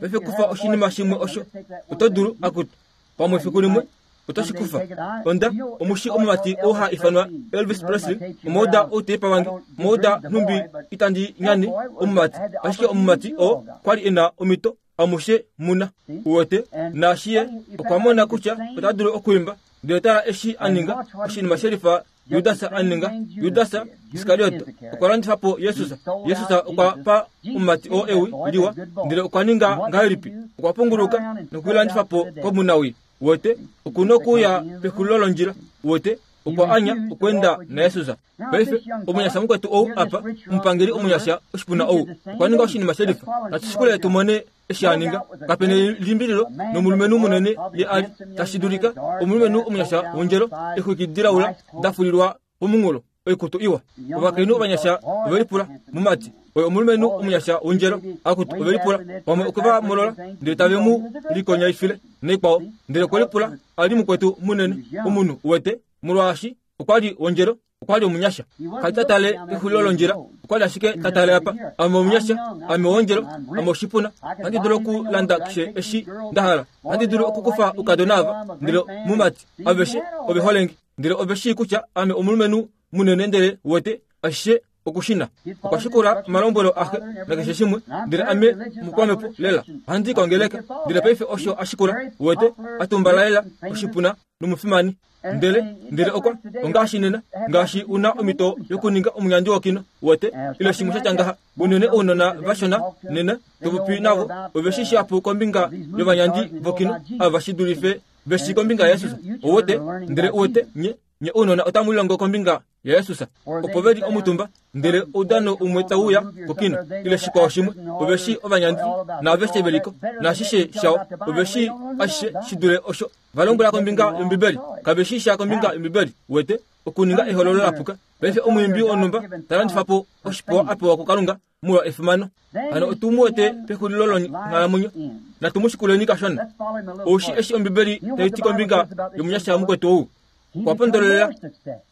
Paife kufa oshinima shimwe osho oto dulu akutu pamwe fiku limwe otoshi kufa. Onda omushi omumati ou ha ifanwa Elvis Presley, omauda outepa wange, omauda nhumbi itandi nyane omumati, ashike omumati oo kwali ena omhito amushe muna. Uwete naashiye okwa mona kutya ota dulu okwiimba. Ndele tala eshi aninga oshinima shelifa Judas aninga. Judas Iskariot okwa landifa po Jesus. Jesus okwa pa omumati oo ewi liwa, ndele okwa ninga ngahelipi? Okwa punguluka nokulilandifa po komunawii. Uwete okuna okuuya pexulilo londjila. Uwete okwa anya okweenda naJesus. Paife omunyasha mukwetu ou apa, omupangeli omunyasha oshipuna ou, okwa ninga oshinima shelifa. Natushikule tumone eshi aninga. Kapena limbililo nomulumenhu munene ye ali tashi dulika omulumenhu omunyasha wondjelo, exwiki dilaula dafulilwa pomunghulo, oikutu iwa. Ovakainhu ovanyasha ovelipula mumati oyo omulumenhu omunyasha wondjelo, akutu ovelipula pamwe okwe va molola ndele tave mu likonyaifile naikwao. Ndele okwe lipula ali mukwetu munene omunhu. Uwete molwaashi okwali wondjelo, okwali omunyasha. Kali tatale exulilo londjila, okwali ashike tatale apa. Ame omunyasha, ame wondjelo, ame oshipuna, ohandi dulu okulanda keshe eshi ndahala, ohandi dulu okukufa oukadona ava, ndele mumati aveshe ove holenge, ndele ove shii kutya ame omulumenhu munene. Ndele uwete ashishe okushina. Okwa shikula omalombwelo axe nakeshe shimwe, ndele ame mukwamhepo lela, ohandi kongeleka. Ndele paife osho ashikula. Uwete atumbala lela oshipuna nomufimani. Ndele ndele okwa ongaashi nena, ngaashi una omhito yokuninga omunyandi wokino. Uwete ile shimwe shatya ngaha. Unene ounona vashona nena topopi navo ove shi shihapu kombinga yovanyandi vokino ava shi dulife veshi kombinga yaJesus. Uwete ndele uwete nye Nye ounona otamu lilongo kombinga yaYesus. Opo ve li omutumba, ndele oudano umwe tauya kokino, ile shikwao shimwe, ove shi ovanyandi, naaveshe veliko, naashishe shao, ove shi ashishe shi dule osho. Valombwela kombinga yOmbibeli, kave shi sha kombinga yOmbibeli, wete, okuninga ehololo lapuka. Paife omwiimbi wonhumba ta landifa po oshipewa a pewa kuKalunga molwa efimano. Hano otu mu wete pexulilo longhalamwenyo, natu mu shikuleni kashona. Oushi eshi Ombibeli tai ti kombinga yomunyasha mukwetu ou. Okwa pondololela.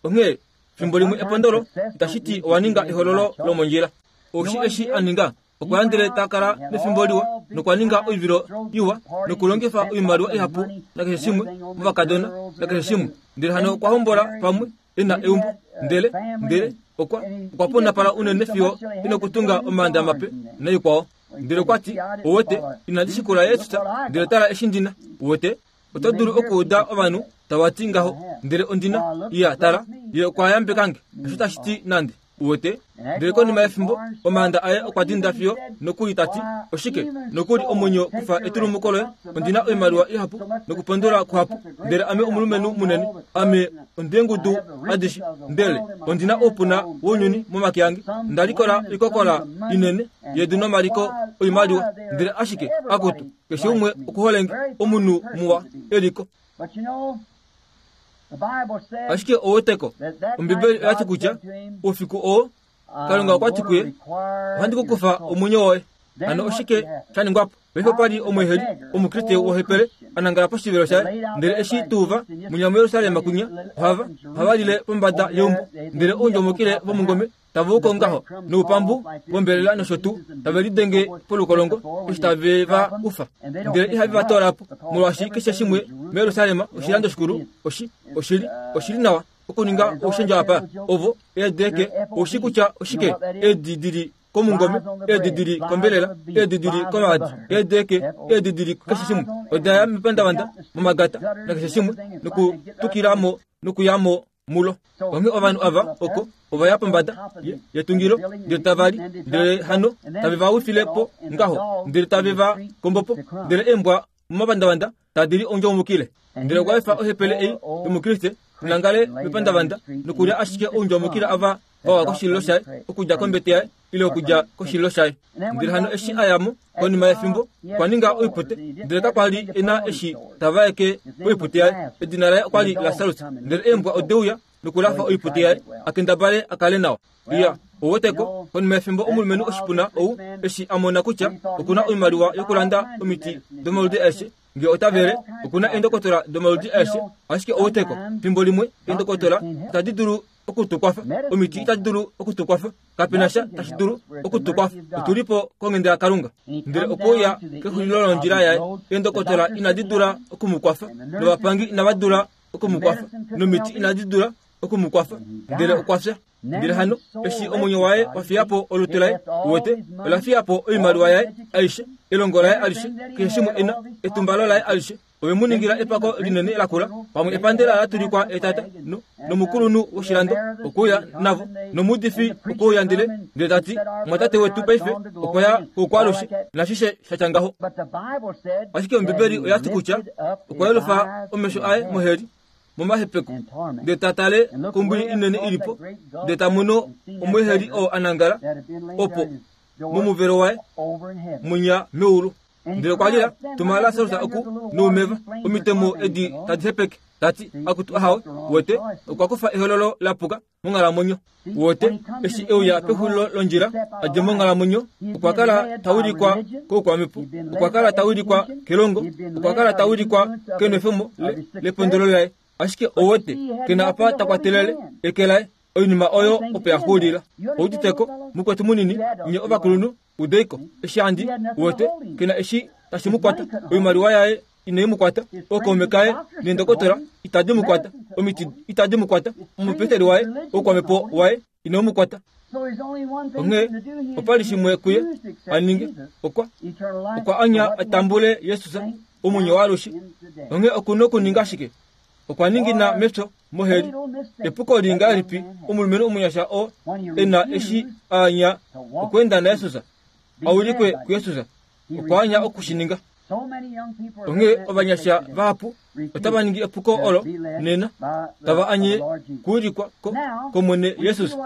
Onghee fimbo limwe epondolo itashi ti owa ninga ehololo lomondjila. Oushi eshi a ninga, okwa ya ndele ta kala mefimbo liwa, nokwa ninga oivilo iwa, nokulongifa oimaliwa ihapu nakeshe shimwe movakadona nakeshe shimwe. Ndele hano okwa hombola pamwe e na eumbo, ndele ndele okwa okwa ponapala unene fiyo ina kutunga omaanda mape naikwao. Ndele okwa ti, owete, inandi shikula Yesus, ndele tala eshi ndina. Uwete, oto dulu okuuda ovanhu tava ti ngaho, ndele ondina, iya tala, ye okwa yambekange, osho tashi ti nande. Uwete, ndele konima yefimbo, omaanda aye okwa dinda fiyo nokuli ta ti, oshike, nokuli omwenyo kufa etulumuko loye, ondina oimaliwa ihapu, nokupondola kuhapu, ndele ame omulumenhu munene, ame ondengudu adishe, ndele ondina oupuna wounyuni momake ange, nda likola oikokola inene yedu nomaliko oimaliwa, ndele ashike akutu, keshe umwe okuholenge, omunhu muwa eliko. Ashike oweteko, Ombibeli oya ti kutya oufiku oo Kalunga okwa ti kuye, ohandi ku kufa omwenyo woye. Hano oshike sha ningwa po? Paife opa li omweeheli, omukriste wohepele, a nangala poshivelo shaye, ndele eshi tuuva munya muJerusalem kunya, ohava ohava lile pombada yeumbo, ndele oundjomukile vomungome tava uko ngaho, noupambu vombelela nosho tuu, tave lidenge polukolongo eshi tave va ufa, ndele ihave va toola po, molwaashi keshe shimwe muJerusalem oshilando shikulu, oshi oshili oshili nawa okuninga oushendja apa. Ovo eedeke oushi kutya oshike eedi dili komungome, eedi dili kombelela, eedi dili komaadi, eedeke, eedi dili keshe shimwe, oda ya mepandavanda, momagata nakeshe shimwe, nokutukilamo nokuyamo mulo. Onghee ovanhu ava oko ova ya pombada yetungilo, ndele tava li, ndele hano tave va wifile po ngaho, ndele tave va kombo po, ndele eembwa momapandavanda tadi li oundjomukile. Ndele okwa efa ohepele ei yomukriste nangale mepandavanda nokulya ashike oundjomukile ava vawa koshililo shaye, okudja kombete yaye ile okudja koshililo shaye. Ndele hano eshi a ya mo konima yefimbo, okwa ninga oipute, ndele kakwa li e na eshi tava eke oipute yaye. Edina laye okwa li Lasarus, ndele eembwa odeuya nokulafa oipute yaye, a kendabale a kale nawa. Iya, oweteko, konima yefimbo omulumenhu oshipuna ou eshi a mona kutya okuna oimaliwa yokulanda omiti domaludi aeshe, nge ota vele, okuna eendokotola domaludi aeshe, ashike oweteko, fimbo limwe eendokotola itadi dulu okutukwafa, omiti itadi dulu okutukwafa, kapena sha tashi dulu okutukwafa, otuli po konghenda yaKalunga. Ndele okuuya kexulilo londjila yaye, eendokotola inadi dula okumukwafa, novapangi inava dula okumukwafa, nomiti inadi dula okumukwafa, ndele okwa fya. Ndele hano eshi omwenyo waye wa fiya po olutu laye, uwete, ola fiya po oimaliwa yaye aishe, elongo laye alishe, keshe shimwe ena, etumbalo laye alishe, ove mu ningila epako linene lakula, pamwe epandela la tulikwa etata, no, nomukulunhu woshilando okuuya navo, nomuudifi okuuya ndele ndele ta ti, mwatate wetu paife okwa ya koukwalushe, nashishe sha tya ngaho. Ashike Ombibeli oya ti kutya okwa yelufa omesho aye moheli, momahepeko, ndele ta tale kombwili inene ilipo, ndele ta mono omweeheli oo a nangala opo momuvelo waye munya meulu. Ndele okwa lila, tuma Lasarus oku noumeva, omitemo edi tadi hepeke, tati akutu ahawe. Wete, okwa kufa ehololo lapuka monghalamwenyo. Wete, eshi euya pexulilo londjila a dje monghalamwenyo, okwa kala ta wilikwa koukwamhepo, okwa kala ta wilikwa kelongo, okwa kala ta wilikwa kenwefemo lepondolo laye. Ashike owete, kena apa ta kwatelele eke laye, oinima oyo opo ya xulila. Ouditeko, mukwetu munini, nye ovakulunhu, udeiko, eshi andi, uwete, kena eshi tashi mu kwata, oimaliwa yaye inai mu kwata, ookaume kaye neendokotola itadi mu kwata, omiti itadi mu kwata, omupeteli waye, oukwamhepo waye inau mu kwata. Onghee opa li shimwe kuye a ninge, okwa okwa anya a tambule Yesus omwenyo waalushe. Onghee okuna okuninga shike? Okwa ningina mepyo moheli. Epuko li ngahelipi omulumenhu omunyasha oo e na eshi a anya okweenda naYesus, a wilikwe kuYesus, okwa anya okushininga. Onghee ovanyasha vahapu otava ningi epuko olo nena tava anye kuulikwa kOmwene Jesus.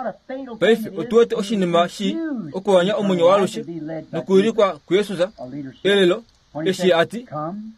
Paife otu wete oshinima shi okuwanya omwenyo waalushe nokuulikwa kuJesus elelo eshi ati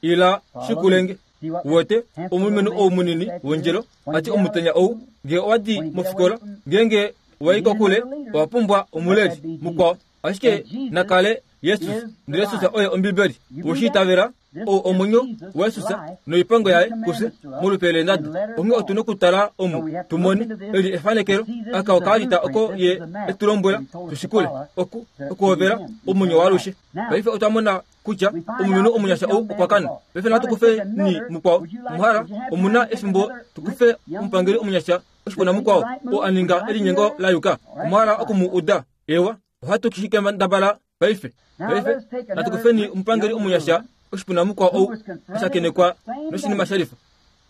ila shikulenge. Wete omulumenhu ou munini wondjelo ati omutenya ou ngee owadi mofikola ngeenge wai kokule owa pumbwa omuleli mukwao ashike nakale Jesus ndele Jesus oye Ombibeli. Woshiitavela ou omwenyo waJesus noipango yaye kufye molupe leenadu. Onghee otu nokutala omu tumone eli efanekelo aka okaalita oko ye etulombwela tushikule oku okuhovela omwenyo waalushe. Paife otwa mona kutya omulumenhu omunyasha ou okwa kana. Paife natu kufe ni mukwao muhala omuna efimbo tukufe omupangeli omunyasha oshipuna mukwao oo a ninga elinyengo la yuka. Omuhala okumu uda ewa ohatu kishikendabala paife. Paife natukufeni omupangeli omunyasha oshipuna mukwao ou ashakenekwa noshinima shalifa.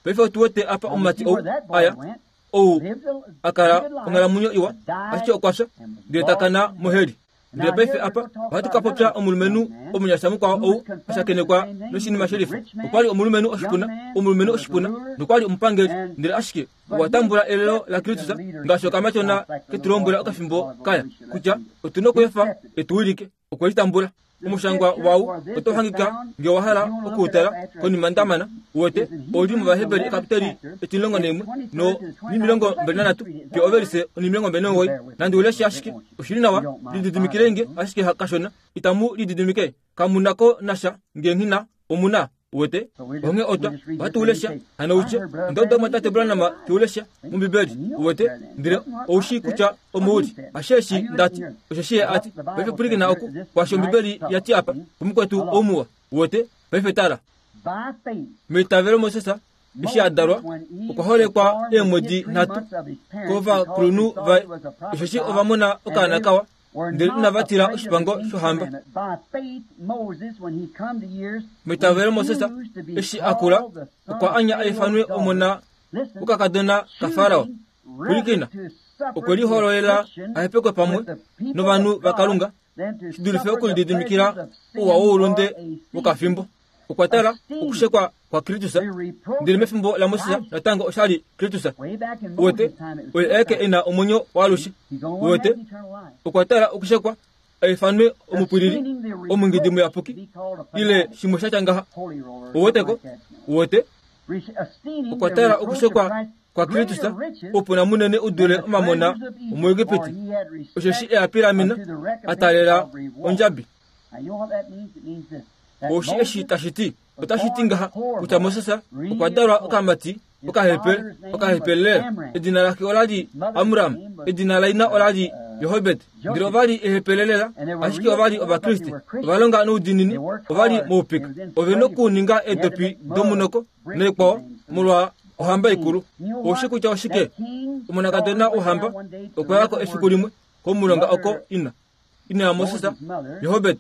Paife otu wete apa omumati ou aya ou akala onghalamwenyo iwa ashike okwa fya ndele takana moheli. Ndele paife apa ohatu ka popya omulumenhu omunyasha mukwao ou ashakenekwa noshinima shalifa. Okwali omulumenhu oshipuna, omulumenhu oshipuna nokwali omupangeli ndele ashike okwa tambula elelo laKristus ngaashi okamatyona ketulombwela okafimbo kaya kutya otu nokuefa etuwilike. Okwe litambula. Omushangwa wau oto hangika ngee wa hala okuutala konima ndamana wete oli mOvaheberi ekapiteli etimulongo naimwe no nimilongo mbali nanhatu fiyo ovelise onimilongo mbali nomugoyi. Nandi uleshe ashike oshili nawa lididimikilenge ashike kashona itamu lididimike kamunako nasha ngee nghina omuna wete onghee otwa ohatu ulesha hano utye onda uda tate Branham tiulesha mOmbibeli wete ndele oushi kutya omouli asheshi ndati osheshi ye ati paife pwilikina oku kwaashi Ombibeli yati apa kumukwetu oumuwa wete paife tala meitavelo Moses eshi a dalwa okwa holekwa eemwedi nhatu kovakulunhu vaye osheshi ova mona okaana kawa ndele inava tila oshipango shohamba. Meitavelo Moses eshi a kula okwa anya a ifanwe omona wokakadona kaFarao. Pwilikina, okwe lihololela a hepekwe pamwe novanhu vaKalunga shi dulife okulididimikila ouwa woulunde wokafimbo. Okwa tala okushekwa kwaKristus ndele mefimbo laMoses natango oshali Kristus. Wete oye aeke e na omwenyo waalushe. Wete okwa tala okushekwa a ifanwe omupwilili omungidi muyapuki ile shimwe shatya ngaha. Oweteko wete okwa tala okushekwa kwaKristus oupuna munene u dule omamona omuEgipiti osheshi e a pilamena a taalela ondjabi. Oushi eshi tashi ti otashi ti ngaha kutya Moses okwa dalwa okamati okahepele okahepele. Edina lake olali Amram, edina laina olali Johobed. Ndele ovali ehepelelela ashike ovali Ovakriste ovalonga noudiinini ovali moupika ove nokuninga eedopi domunoko noikwao molwa ohamba ikulu. Oushi kutya oshike omonakadona wohamba okwa yako efiku limwe komulonga oko ina ina yaMoses Johobed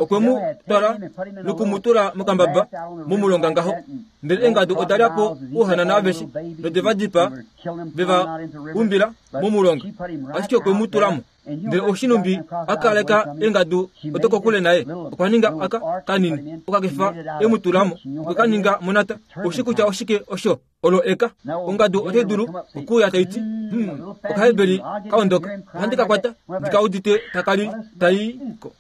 okwe mu twala nokumutula mokambaba momulonga ngaho. Ndele eengadu oda lya po ouhanana aveshe node va dipaa ve va umbila momulonga ashike okwe mu tulamo. Ndele oshinumbi a kaleka eengadu odo kokule naye okwa ninga aka kanini okakefa e mu tulamo okwe ka ninga monata. Oushi kutya oshike osho olo eka ongadu otai dulu okuuya taiti hmm okahebeli kaondoka ohandi ka kwata ndikaudite takalili tai ko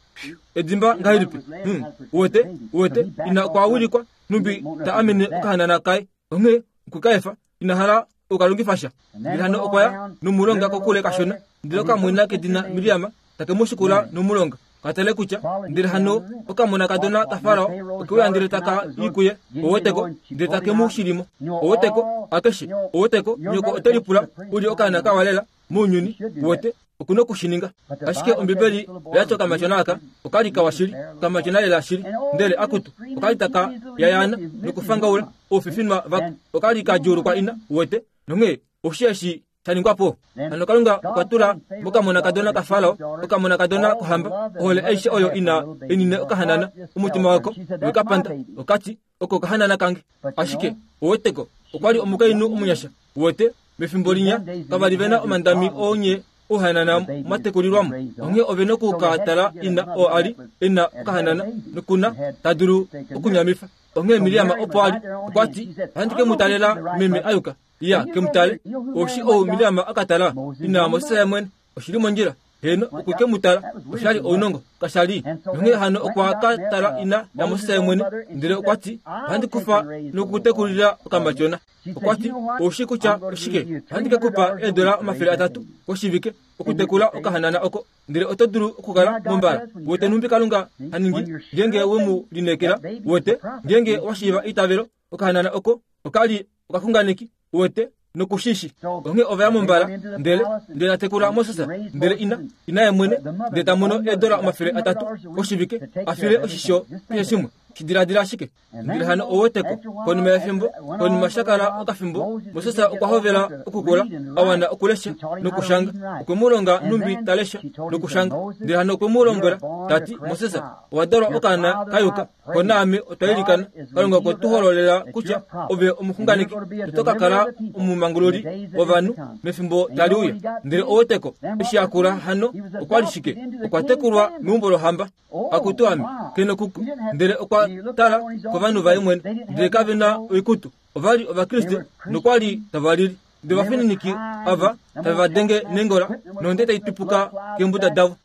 edimba ngahelipi hmm wete wete ina okwa wilikwa numbi ta amene okahanana kaye onghee okwe ina hala okalongifa sha. Ndele hano okwa ya nomulonga kokule kashona ndele okamwena kedina Miriam take mu shikula nomulonga katale kutya ndele hano okamonakadona kaFarao okeuya ndele taka i kuye oweteko ndele take mu shilimo oweteko akeshe oweteko nyoko ote lipula uli okaana kawalela mounyuni wete okuna okushininga. Ashike Ombibeli oyati okamatyona aka okali kawa shili okamatyona lela shili ndele akutu okali taka yayaana nokufangaula oufifinwa vako okali ka djuulukwa ina wete nonghee oshi eshi sha ningwa po. Hano Kalunga okwa tula mokamonakadona kaFarao okamonakadona kohamba ohole aishe oyo ina enine okahanana omutima wako wekapanda okati oko okahanana kange. Ashike oweteko okwali omukainhu omunyasha wete mefimbo linya kavali vena omandami oonye ouhanana mwatekulilwamo onghee ove nokukatala ina oo ali ena okahanana nokuna tadulu okunyamifa onghee Miriam opo ali okwa ti ohandi ke mu talela meme ayuka ya ke mu tale oshi ou Miriam akatala ina Moses yamwene oshili mondjila heno okuke mu tala oshali ounongo kashali nonghee hano okwa ka tala ina yaMoses yamwene ndele okwa ti ohandi kufa nokutekulila okamatyona okwa ti oushi kutya oshike ohandi ke kupa eedola omafele atatu koshivike okutekula okahanana oko ndele oto dulu okukala mombala wete numbi Kalunga haningi ngenge wemu lineekela wete ngenge washiiva eitavelo okahanana oko okali okaxunganeki wete nokushishi onghee ovaya mombala ndele ndele atekula Moses ndele ina ina yemwene ndele tamono eedola omafele atatu koshivike afile oshisho keshe shimwe shidiladila ashike ndele hano oweteko konima yefimbo konima shakala okafimbo Moses okwa hovela okukula awana okulesha nokushanga okwe mu longa numbi talesha nokushanga ndele hano okwe mu lombwela tati Moses owa dalwa okaana kayuka konaame otwa ilikana Kalunga okwe tu hololela kutya ove omuxunganeki oto ka kala omumangululi wovanhu mefimbo tali uya ndele oweteko eshi akula hano okwa li shike okwa tekulwa meumbo lohamba akutu ame keno kuku ndele okwa tala kovanhu vaye mwene ndele kave na oikutu ovali ovakriste nokwali tava lili ndele ovafininiki ava tave va denge nengola nonde tai tupuka keembuda davo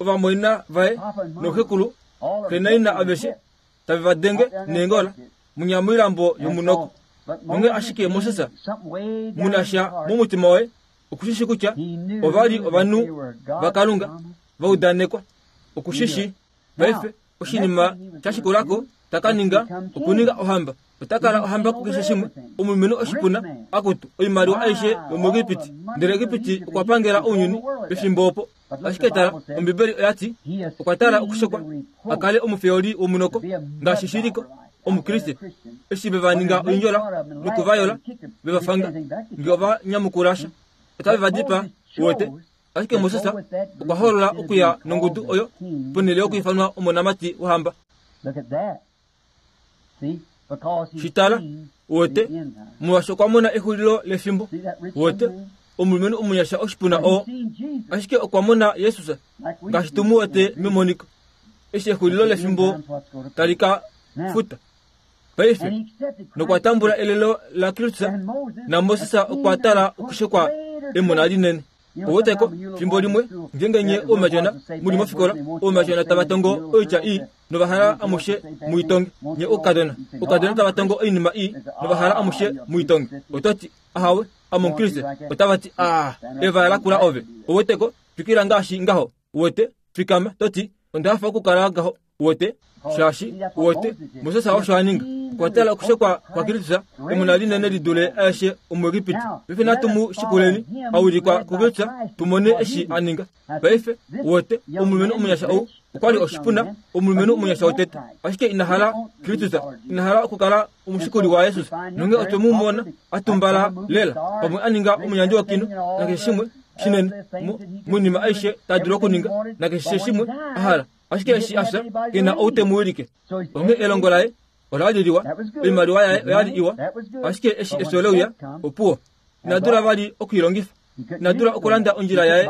ovamwaina vaye noxekulu kenaina aveshe tave va denge nengola munyamoilambo yomunoko nonge ashike Moses munasha momutima waye okushishi kutya ovali ovanhu vaKalunga vaudanekwa okushishi paife oshinima shashikulako takaninga okuninga ohamba otakala ohamba kukeshe shimwe omulumenhu oshipuna akutu oimaliwa aishe yomuEgipiti ndele Egipiti okwa pangela ounyuni pefimbo opo ashike tala Ombibeli oya ti okwa tala okushekwa a kale omufeoli womunoko ngaashi shiliko omukriste eshi ve va ninga oindjola nokuvayola ve va fanga nge ova nyamukulasha otave va dipa wete ashike Moses okwa holola okuya nongudu oyo ponhele yokuifanwa omonamati wohamba shitala wete molwaashi okwa mona exulilo lefimbo wete omulumenhu omunyasha oshipuna oo ashike okwa mona Jesus ngaashi tu mu wete memoniko eshi exulilo lefimbo tali ka futa paife nokwa tambula elelo la Kristus na Moses okwa tala okushekwa emona linene oweteko fimbo limwe ngenge nye oumatyona muli mofikola oumatyona tava tongo oitya ii novahala amushe muitonge nye oukadona oukadona tava tongo oinima ii novahala amushe muitonge ototi ahawe amomukriste otava ti a eva lakula ove oweteko twikila ngaashi ngaho wete fikama toti onda hafa okukala ngaho wete shaashi wete Moses osho aninga okwa tala okushekwa kwa Kristus emona linene lidule aeshe omuEgipiti paife natu mu shikuleni aulikwa kuKristus tumone eshi aninga paife wete omulumenhu omunyasha ou okwali oshipuna omulumenhu omunyasha wotete ashike ina hala Kristus ina hala okukala omushikuli wa Jesus nonge otwe mu mona atumbala lela pamwe aninga omunyandi wokino nakeshe shimwe shinene moinima aishe tadulu okuninga nakeshe shimwe ahala ashike eshi afya kena outemuwilike onge elongo laye ola li liwa oimaliwa yaye oya li iwa ashike eshi efyo leuya opuwo inadula vali okuilongifa inadula okulanda ondjila yaye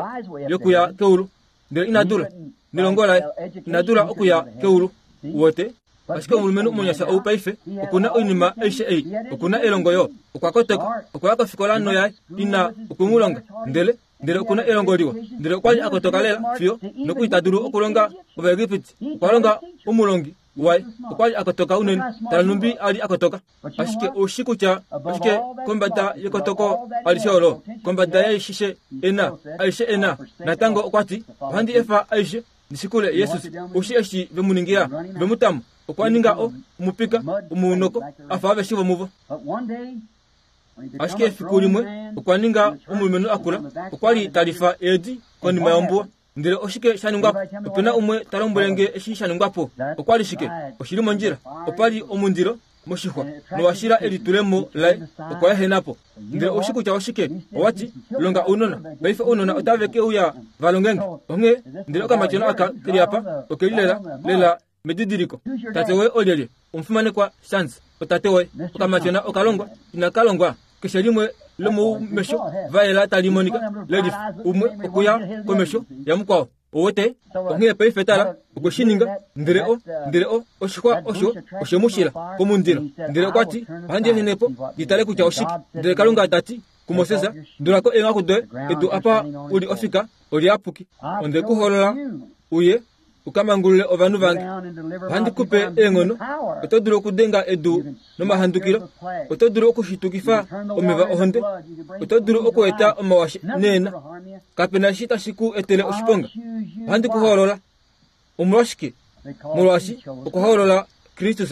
yokuya keulu ndele inadula nelongo laye inadula okuya keulu wote ashike omulumenhu omunyasha ou paife okuna oinima aishe ei okuna elongo yo okwa kotoka okwaya kofikola noyaye ina okwemulonga ndele ndele okuna elongo liwa ndele okwali akotoka lela fiyo noku itadulu okulonga Ovaegipiti okwa longa omulongi waye okwali akotoka unene tala numbi ali akotoka ashike oushi kutya ashike kombada yekotoko alishe olo kombada yaishishe ena aishe ena natango okwa ti ohandi efa aishe ndishikule Jesus oushi eshi vemuningila vemutamo okwa ninga o omupika omunoko afa aveshe vomuvo ashike efiku limwe okwa ninga omulumenhu akula okwali talifa eedi konima yombuwa ndele oshike sha ningwapo opena umwe ta lombwele nge eshi sha ningwapo okwali shike oshili mondjila opali omundilo moshixwa nowashila elitulemo laye okwa ehenapo ndele oushi kutya oshike owati longa ounona paife ounona otave ke uya valongenge onghee ndele okamatyona aka keli apa okeli lela lela medidiliko tate woye olyelye omufimanekwa Sans otate woye okamatyona okalongwa inakalongwa keshe limwe lomoumesho vayela tali monika lelifa umwe okuya komesho yamukwao owete onghee paife tala okweshininga ndele o ndele o oshixwa osho oshemushila komundilo ndele okwati ohandi ehenepo nditale kutya oshike ndele Kalunga tati kuMoses dulako eenghaku doye edu apa uli ofika oliyapuki onde kuholola uye ukamangulule ovanhu vange ohandi kupe eenghono oto dulu okudenga edu nomahandukilo oto dulu okushitukifa omeva ohonde oto dulu okueta omawashe neena kapena eshi tashi ku etele oshiponga ohandi kuhoolola omolwashike molwaashi okwa Kristus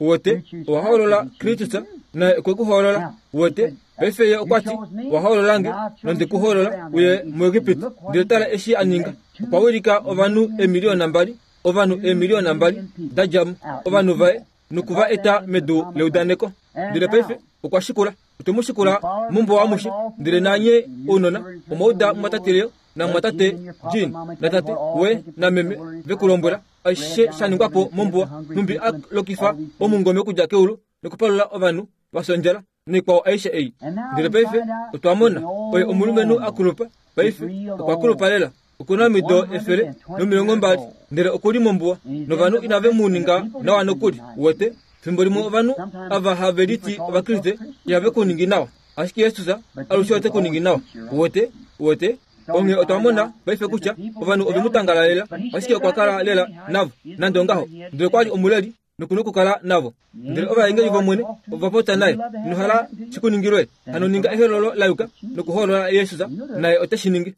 uwete owa hoolola Kristus naye okwe ku hoolola uwete paife ye okwati owa hoololange nonde ku hoolola uye muEgipiti ndele tala eshi a ninga okwa wilika ovanhu eemiliyona mbali ovanhu eemiliyona mbali da dja mo ovanhu vaye nokuva eta medu leudaneko ndele paife okwa shikula otwe mu shikula mombuwa amushe ndele nanye ounona omwauda mwatate namwatate Jean natate we nameme vekulombwela aishe shaningwapo mombuwa numbi a lokifa omungome okudja keulu nokupalula ovanhu vafya ondjala noikwao aishe ei ndele paife otwa mona oye omulumenhu akulupa paife okwa kulupa lela okuna omido efele nomilongo mbali ndele okuli mombuwa novanhu inave mu ninga nawa nokuli uwete fimbo limwe ovanhu ava have liti ovakriste ihave kuningi nawa ashike Jesus alushe ote kuningi nawa uwete uwete onge otwa mona paife kutya ovanhu ove mu tangalalela ashike okwa kala lela navo nande ongaho ndele kwali omuleli nokuna okukala navo ndele ovaengeli vomwene ova popya naye inohala shikuningilwe hano ninga ehololo la yuka nokuhoolola Jesus naye ote shi ningi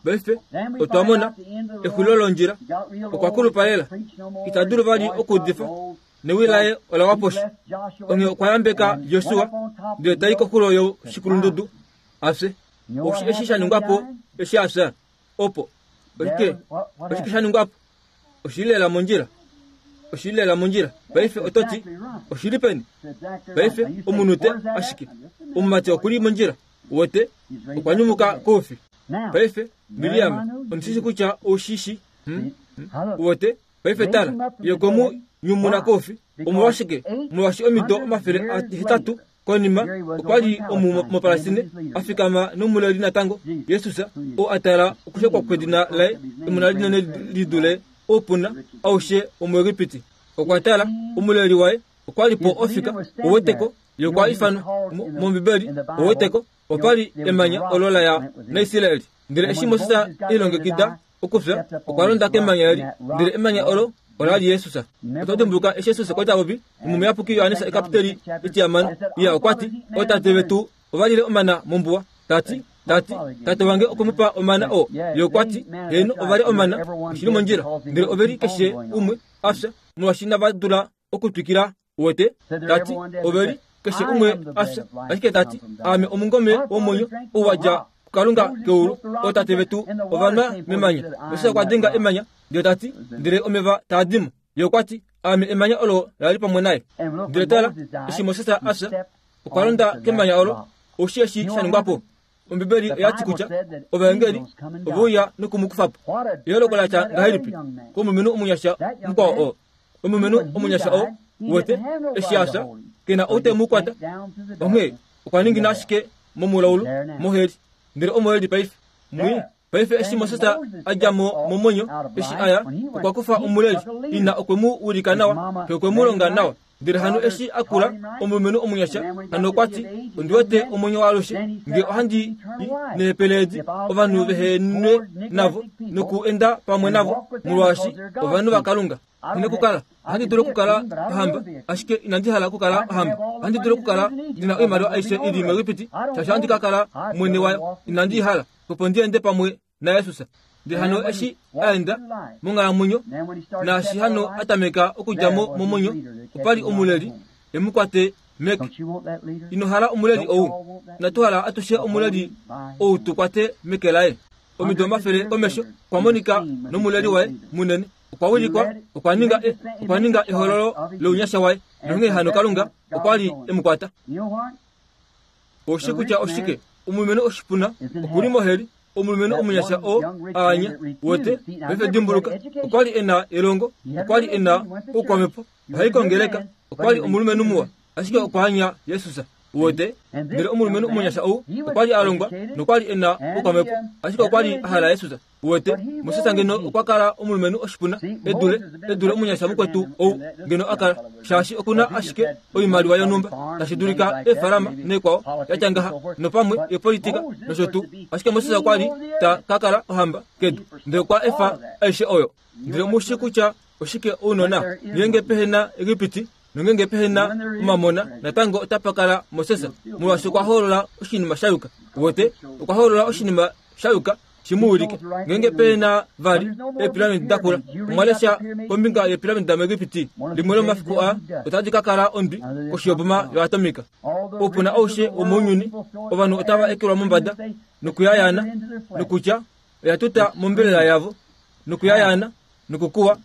paife otwa mona exulilo londjila okwa kulupa lela ita dulu vali okuudifa newi laye ola wa poshi onge okwa yambeka Josua ndele tai koxulo yoshikulundudu afye eshi shaningwapo eshi afya opo oshike oshike shaningwapo oshili lela mondjila oshili lela mondjila paife ototi oshili peni paife omunute ashike omumati okuli mondjila wote okwa nyumuka koufi paife Miriam ondishishi kutya oushishi wote paife tala ye okwe mu nyumuna koufi omolwashike molwaashi omido omafele ahetatu konima okwali omu mopalestine afikama nomuleli natango Jesus oo atala okushekwa kwedina laye emona linene lidule oupuna aushe womuEgipiti okwa tala omuleli waye okwali po ofika oweteko ye okwa ifanwa mombibeli oweteko opali emanya olo laya naIsraeli ndele eshi Moses ilongekida okufya okwa londa kemanya eli ndele emanya olo olali Jesus oto dimbuluka eshi Jesus okwa popi omuyapuki Johannes ekapiteli etiyamano iya okwati ootate vetu ovalile omana mombuwa tati tati tate wange okwemupa omana oo ye okwati heno ovalya omana oshili mondjila ndele oveli keshe umwe afya molwaashi inava dula okutwikila uwete tati oveli keshe umwe afya ashike tati aame omungome womwenyo ou wadja kuKalunga keulu ootate vetu ovanwa memanya Moses okwa denga emanya ndele tati ndele omeva taa dimo ye okwati aame emanya olo lali pamwe naye ndele tala eshi Moses afya okwa londa kemanya olo oshi eshi shaningwapo ombibeli oyati kutya ovaengeli oveuya nokumukufapo eholoko latya ngahelipi komulumenhu omunyasha mukwao oo omulumenhu omunyasha oo wete eshi afya kena ou te mu kwata onghee okwa ningina ashike momulaulu moheli ndele omoheli paife mwi paife eshi Moses adja mo momwenyo eshi aya okwa kufa omuleli ina okwe mu ulika nawa xe okwe mu longa nawa ndele hano eshi akula omulumenhu omunyasha hano okwati ondiwete omwenyo waalushe nge ohandi neepeleedi ovanhu vehenwe navo noku enda pamwe navo molwaashi ovanhu vaKalunga ine kukala ohandi dulu okukala ohamba ashike inandi hala okukala ohamba ohandi dulu okukala ndina oimaliwa aishe ili muEgipiti shaashi ohandi ka kala mwene wayo inandi hala opo ndi ende pamwe naYesus ndele hano eshi aenda monghalamwenyo naashi hano atameka okudja mo momwenyo opali omuleli emukwate meke ino hala omuleli ou inatu hala atushe omuleli ou tu kwate meke laye omido omafele komesho okwa monika nomuleli waye munene okwa wilikwa okwa ninga okwa ninga ehololo lounyasha waye nonghee hano Kalunga okwali emukwata oshi kutya oshike omulumenhu oshipuna okuli moheli omulumenhu omunyasha oo aanya wote paife dimbuluka okwali ena elongo okwali ena oukwamepo ohai kongeleka okwali omulumenhu muwa ashike okwa anya Jesus Uwete ndele omulumenhu omunyasha ou okwa li a longwa nokwa li e na oukwamhepo, ashike okwa li a hala Yesus. Uwete, Moses ngeno okwa kala omulumenhu oshipuna edule edule omunyasha mukwetu ou ngeno a kala, shaashi okuna ashike oimaliwa yonhumba tashi dulika eefalama neekwao yatya ngaha nopamwe yepolitika nosho tuu. Ashike Moses okwa li ta ka kala ohamba kedu, ndele okwa efa aishe oyo. Ndele mushi kutya oshike ounona ngeenge pehe na Egipiti nongenge pehe na omamona, natango otapa kala Moses, molwaashi okwa hoolola oshinima sha yuka. Uwete, okwa hoolola oshinima sha yuka shimuwilike. Ngeenge pehe na vali eepiramidi dakula, omwa lesha kombinga yeepiramidi damuEgipiti, limwe lomafiku aa otadi ka kala ondwi koshi yoboma yoatomika. Oupuna aushe womounyuni, ovanhu otava ekelwa mombada nokuyayaana, nokutya oya tuta mombelela yavo nokuyayaana nokukuwa.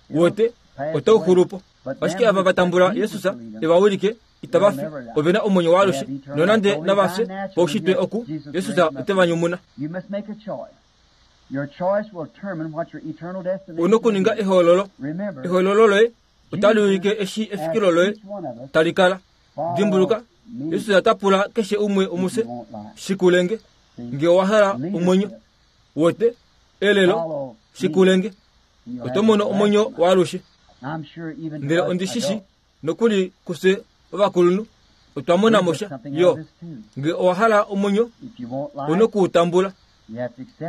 Uwete, otau xulupo. Ashike ava va tambula Yesus e va wilike itava fi, ove na omwenyo waalushe, nonande nava fye paushitwe oku, Yesus ote va nyumuna. Una okuninga ehoololo. Ehoololo loye otali ulike eshi efikilo loye tali kala. Dimbuluka, Yesus ota pula keshe umwe omufye, shikulenge nge owa hala omwenyo. Uwete, elelo, shikulenge, oto mono omwenyo waalushe. Ndele ondi shishi nokuli kufye ovakulunhu otwa mona mosha yo nge owa hala omwenyo una okuutambula,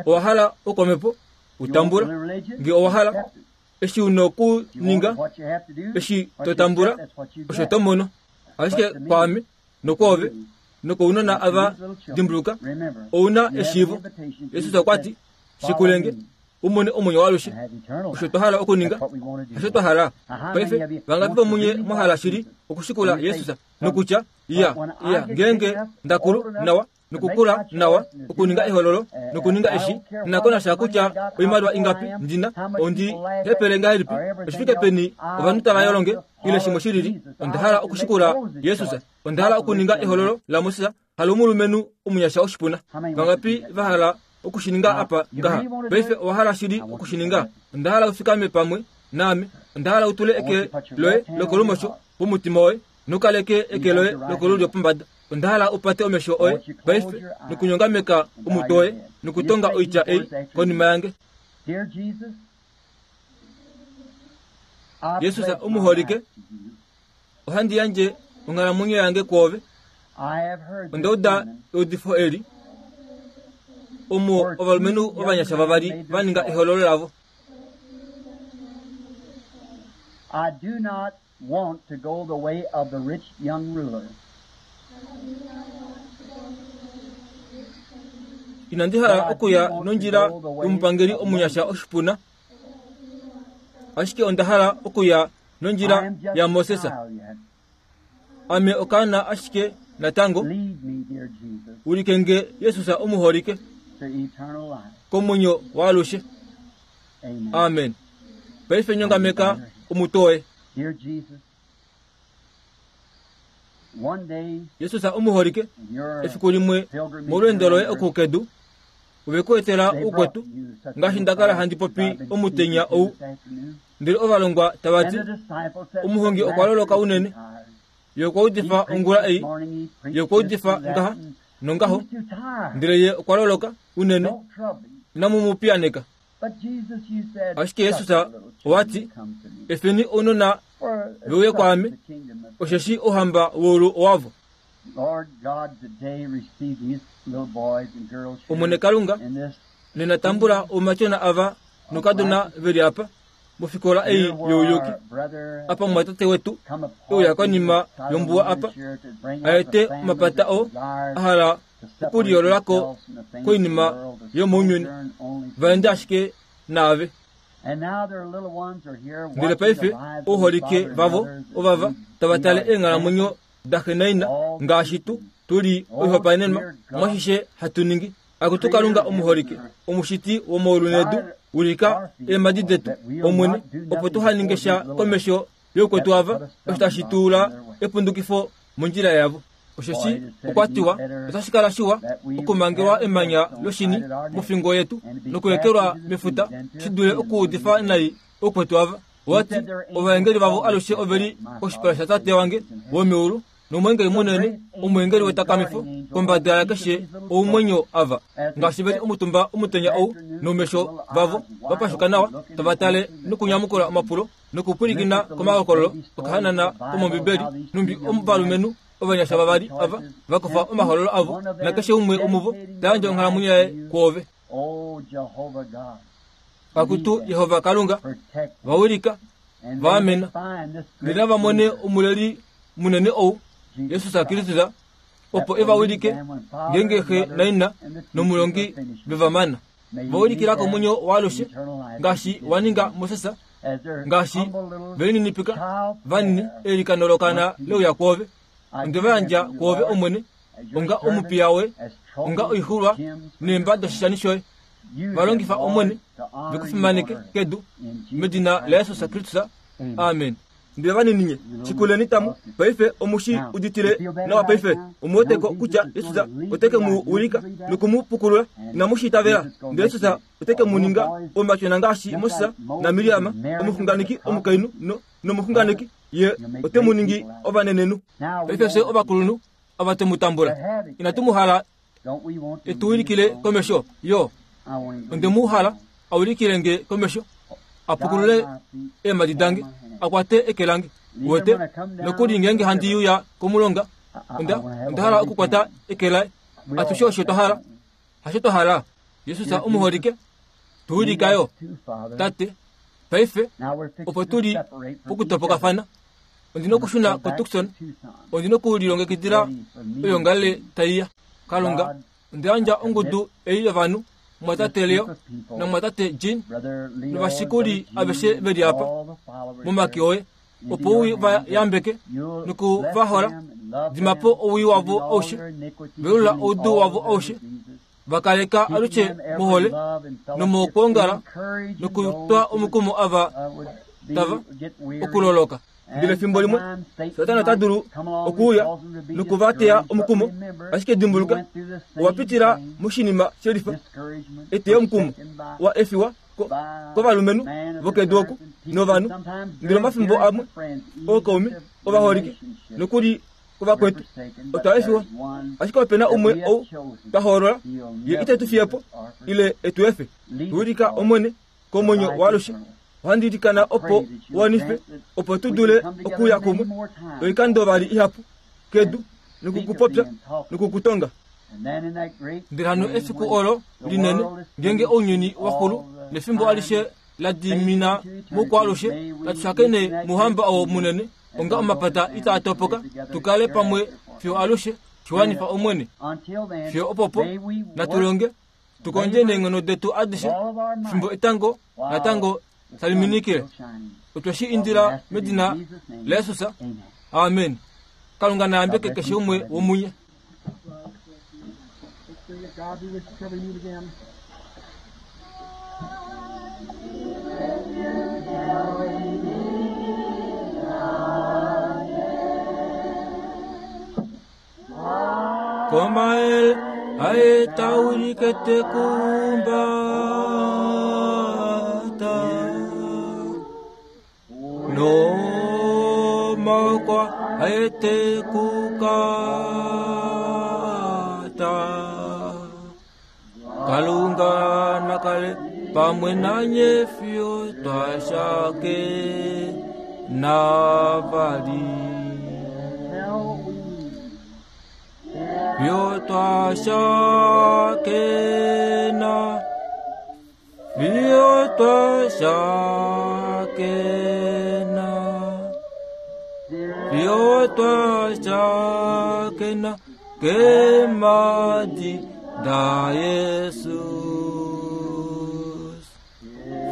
owa hala oukwamhepo utambula, nge owa hala eshi una okuninga, eshi to tambula osho to mono. Ashike kwaame nokwoove nokounona ava, dimbuluka, ouna eshiivo. Yesus okwa ti, shikulenge umone omwenyo waalushe. Osho twa hala okuninga, osho twa hala. Paife vangapi vomunye mwa hala shili okushikula Yesus nokutya iya iya ngeenge ndakulu nawa nokukula nawa okuninga ehololo nokuninga eshi, nakonasha kutya oimaliwa ingapi ndina, ondi hepele ngahelipi, oshifike peni ovanhu tava yolonge ile shimwe shilili, onda hala okushikula Yesus. Onda hala okuninga ehololo laMoses, halomulumenhu omunyasha oshipuna. Vangapi va hala okushininga apa ngaha? Paife owa hala shili okushininga? Onda hala ufikame pamwe naame. Onda hala utule eke loye lokolumosho pomutima woye nokaleke eke loye lokolulyo pombada. Onda hala upate omesho oye paife nokunyongameka omutwe woye nokutonga oitya ei konima yange. Yesus omuholike, ohandi yandje onghalamwenyo yange kwoove. Onda uda eudifo eli omo ovalumenhu ovanyasha vavali va ninga ehololo lavo. I do not want to go the way of the rich young ruler. Inandi hala okuya nondjila yomupangeli omunyasha oshipuna, ashike onda hala okuya nondjila yaMoses. Ame okaana ashike natango. Ulike nge Yesus omuholike komwenyo waalushe. Amen. Paife nyongameka omutwe woye. Yesus omuholike, efiku limwe molweendo loye okukedu ove ku etela oukwetu, ngaashi nda kala handi popi omutenya ou. Ndele ovalongwa tava ti, omuhongi okwa loloka unene, ye okwa udifa ongula ei, ye okwa udifa ngaha nongaho, ndele ye okwa loloka unene, inamu mu piyaneka. Ashike Yesus owa ti, efeni ounona veuye kwaame, osheshi ouhamba weulu owavo. Omwene Kalunga, nena tambula oumatyona ava nokadona veli apa mofikola ei youyuki, apa mumwatate wetu euya konima yombuwa apa, aete omapata oo a hala okuliyoololako koinima yomounyuni, vaende ashike naave. Ndele paife ouholike vavo ovava tava tale eenghalamwenyo daxe naina, ngaashi tu tuli oihopaenenwa mwashishe hatu ningi. Akutu Kalunga omuholike, omushiti womaulu nedu, ulika eemhadi detu, Omwene, opo tuha sha komesho youkwetu ava, osho tashi tuula epundukifo mondjila yavo. Osheshi okwa tiwa, otashi kala shiwa okumangelwa emanya loshini mofingo yetu nokuekelwa mefuta, shi dule okuudifa nai oukwetu ava. Owati, ovaengeli vavo alushe oveli koshipala shatate wange womeulu, nomwengeli munene omwengeli wetakamifo kombada yakeshe oumwenyo ava ngaashi veli omutumba omutenya ou noumesho vavo vapashuka nawa tava tale nokunyamukula omapulo nokupwilikina komahokololo okahanana komombibeli numbi ovalumenhu ovanyasha vavali ava vakufa omahololo avo nakeshe umwe omuvo tayandja onghalamwenyo yaye kwoove. Pakutu Yehova Kalunga vawilika vaamena ndele vamone omuleli munene ou Yesus Kristus opo evawilike ngenge xe naina nomulongi vevamana vawilikila komwenyo waalushe ngaashi waninga Moses ngaashi velininipika vanini eilikano lokana leuya kwoove onde vayandja kwoove omwene onga omupiya we onga oixulwa neemba doshishani shoye valongifa omwene vekufimaneke kedu medina la Yesus Kristus. Amen. Ndele vanininye shikuleni tamu paife omushi uditile nawa paife omuweteko kutya Yesus oteke mu wilika nokumupukulula inamushitavela ndele Yesus oteke muninga omatyona ngaashi Moses na Miriam omuxunganeki omukainhu no nomuxunganeki ye ote muningi ovanenenhu. Paife fye ovakulunhu ava temutambula inatu muhala etuwilikile komesho yo onde muhala awilikile nge komesho apukulule eemadi dange akwate eke lange wete nokuli ngenge handi yuya komulonga onda onda hala okukwata eke laye atushe osho twahala hasho twahala. Yesus omuholike tuwilikayo tate paife opo tuli pokutopokafana ondina okushuna koTucson ondina okulilongekidila oyongale taiya. Kalunga ondeyandja ongudu ei yovanhu mwatate Leo namwatate Jean novashikuli aveshe veli apa momake oye opo ui vayambeke nokuvahola dimapo owii wavo aushe velula oudu wavo aushe vakaleka alushe mohole nomokwoongala nokutwa omukumo ava tava okuloloka. Ndele efimbo limwe Satana ota dulu okuuya nokuvateya omukumo ashike dimbuluka owapitila moshinima shelifa eteyo omukumo wa efiwa kovalumenhu vokedu oku novanhu ndele omafimbo amwe ookaume ovaholike nokuli kovakwetu otwa efiwa ashike opena umwe ou twahoolola ye ite tu fiyepo ile etu efe. Tuwilika omwene komwenyo waalushe ohandi ilikana opo wanife opo tu dule okuya kumwe oikando vali ihapu kedu nokukupopya nokukutonga. Ndele hano efiku olo linene ngenge ounyuni waxulu nefimbo alishe la dimina mokwaalushe latushakene muhamba oo munene onga omapata itaa topoka tukale pamwe fiyo alushe shiwanifa omwene fiyo opopo natulonge tukondje neenghono detu adishe fimbo etango natango taliminikile otweshi indila medina la Yesus. Amen. Kalunga nayambeke keshe umwe womunye. God be with you till we meet again. Komael aetaurikete kumbata no makwa aete kukata Kalunga nakale pamwe nanye fiyo twashake navali fiyo twashake na fiyo twashake na fiyo twashake na kemadi da Jesus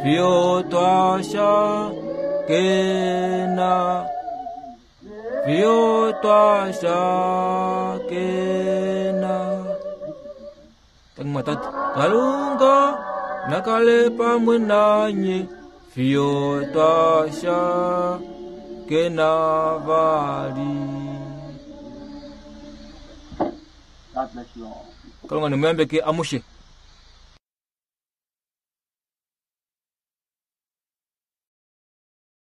fiyo twashake na fiyo twashake na tangmatatu Kalunga nakale pamwe nanye fiyo twashake na vali. God bless you all. Kalunga nimuyambeke amushe.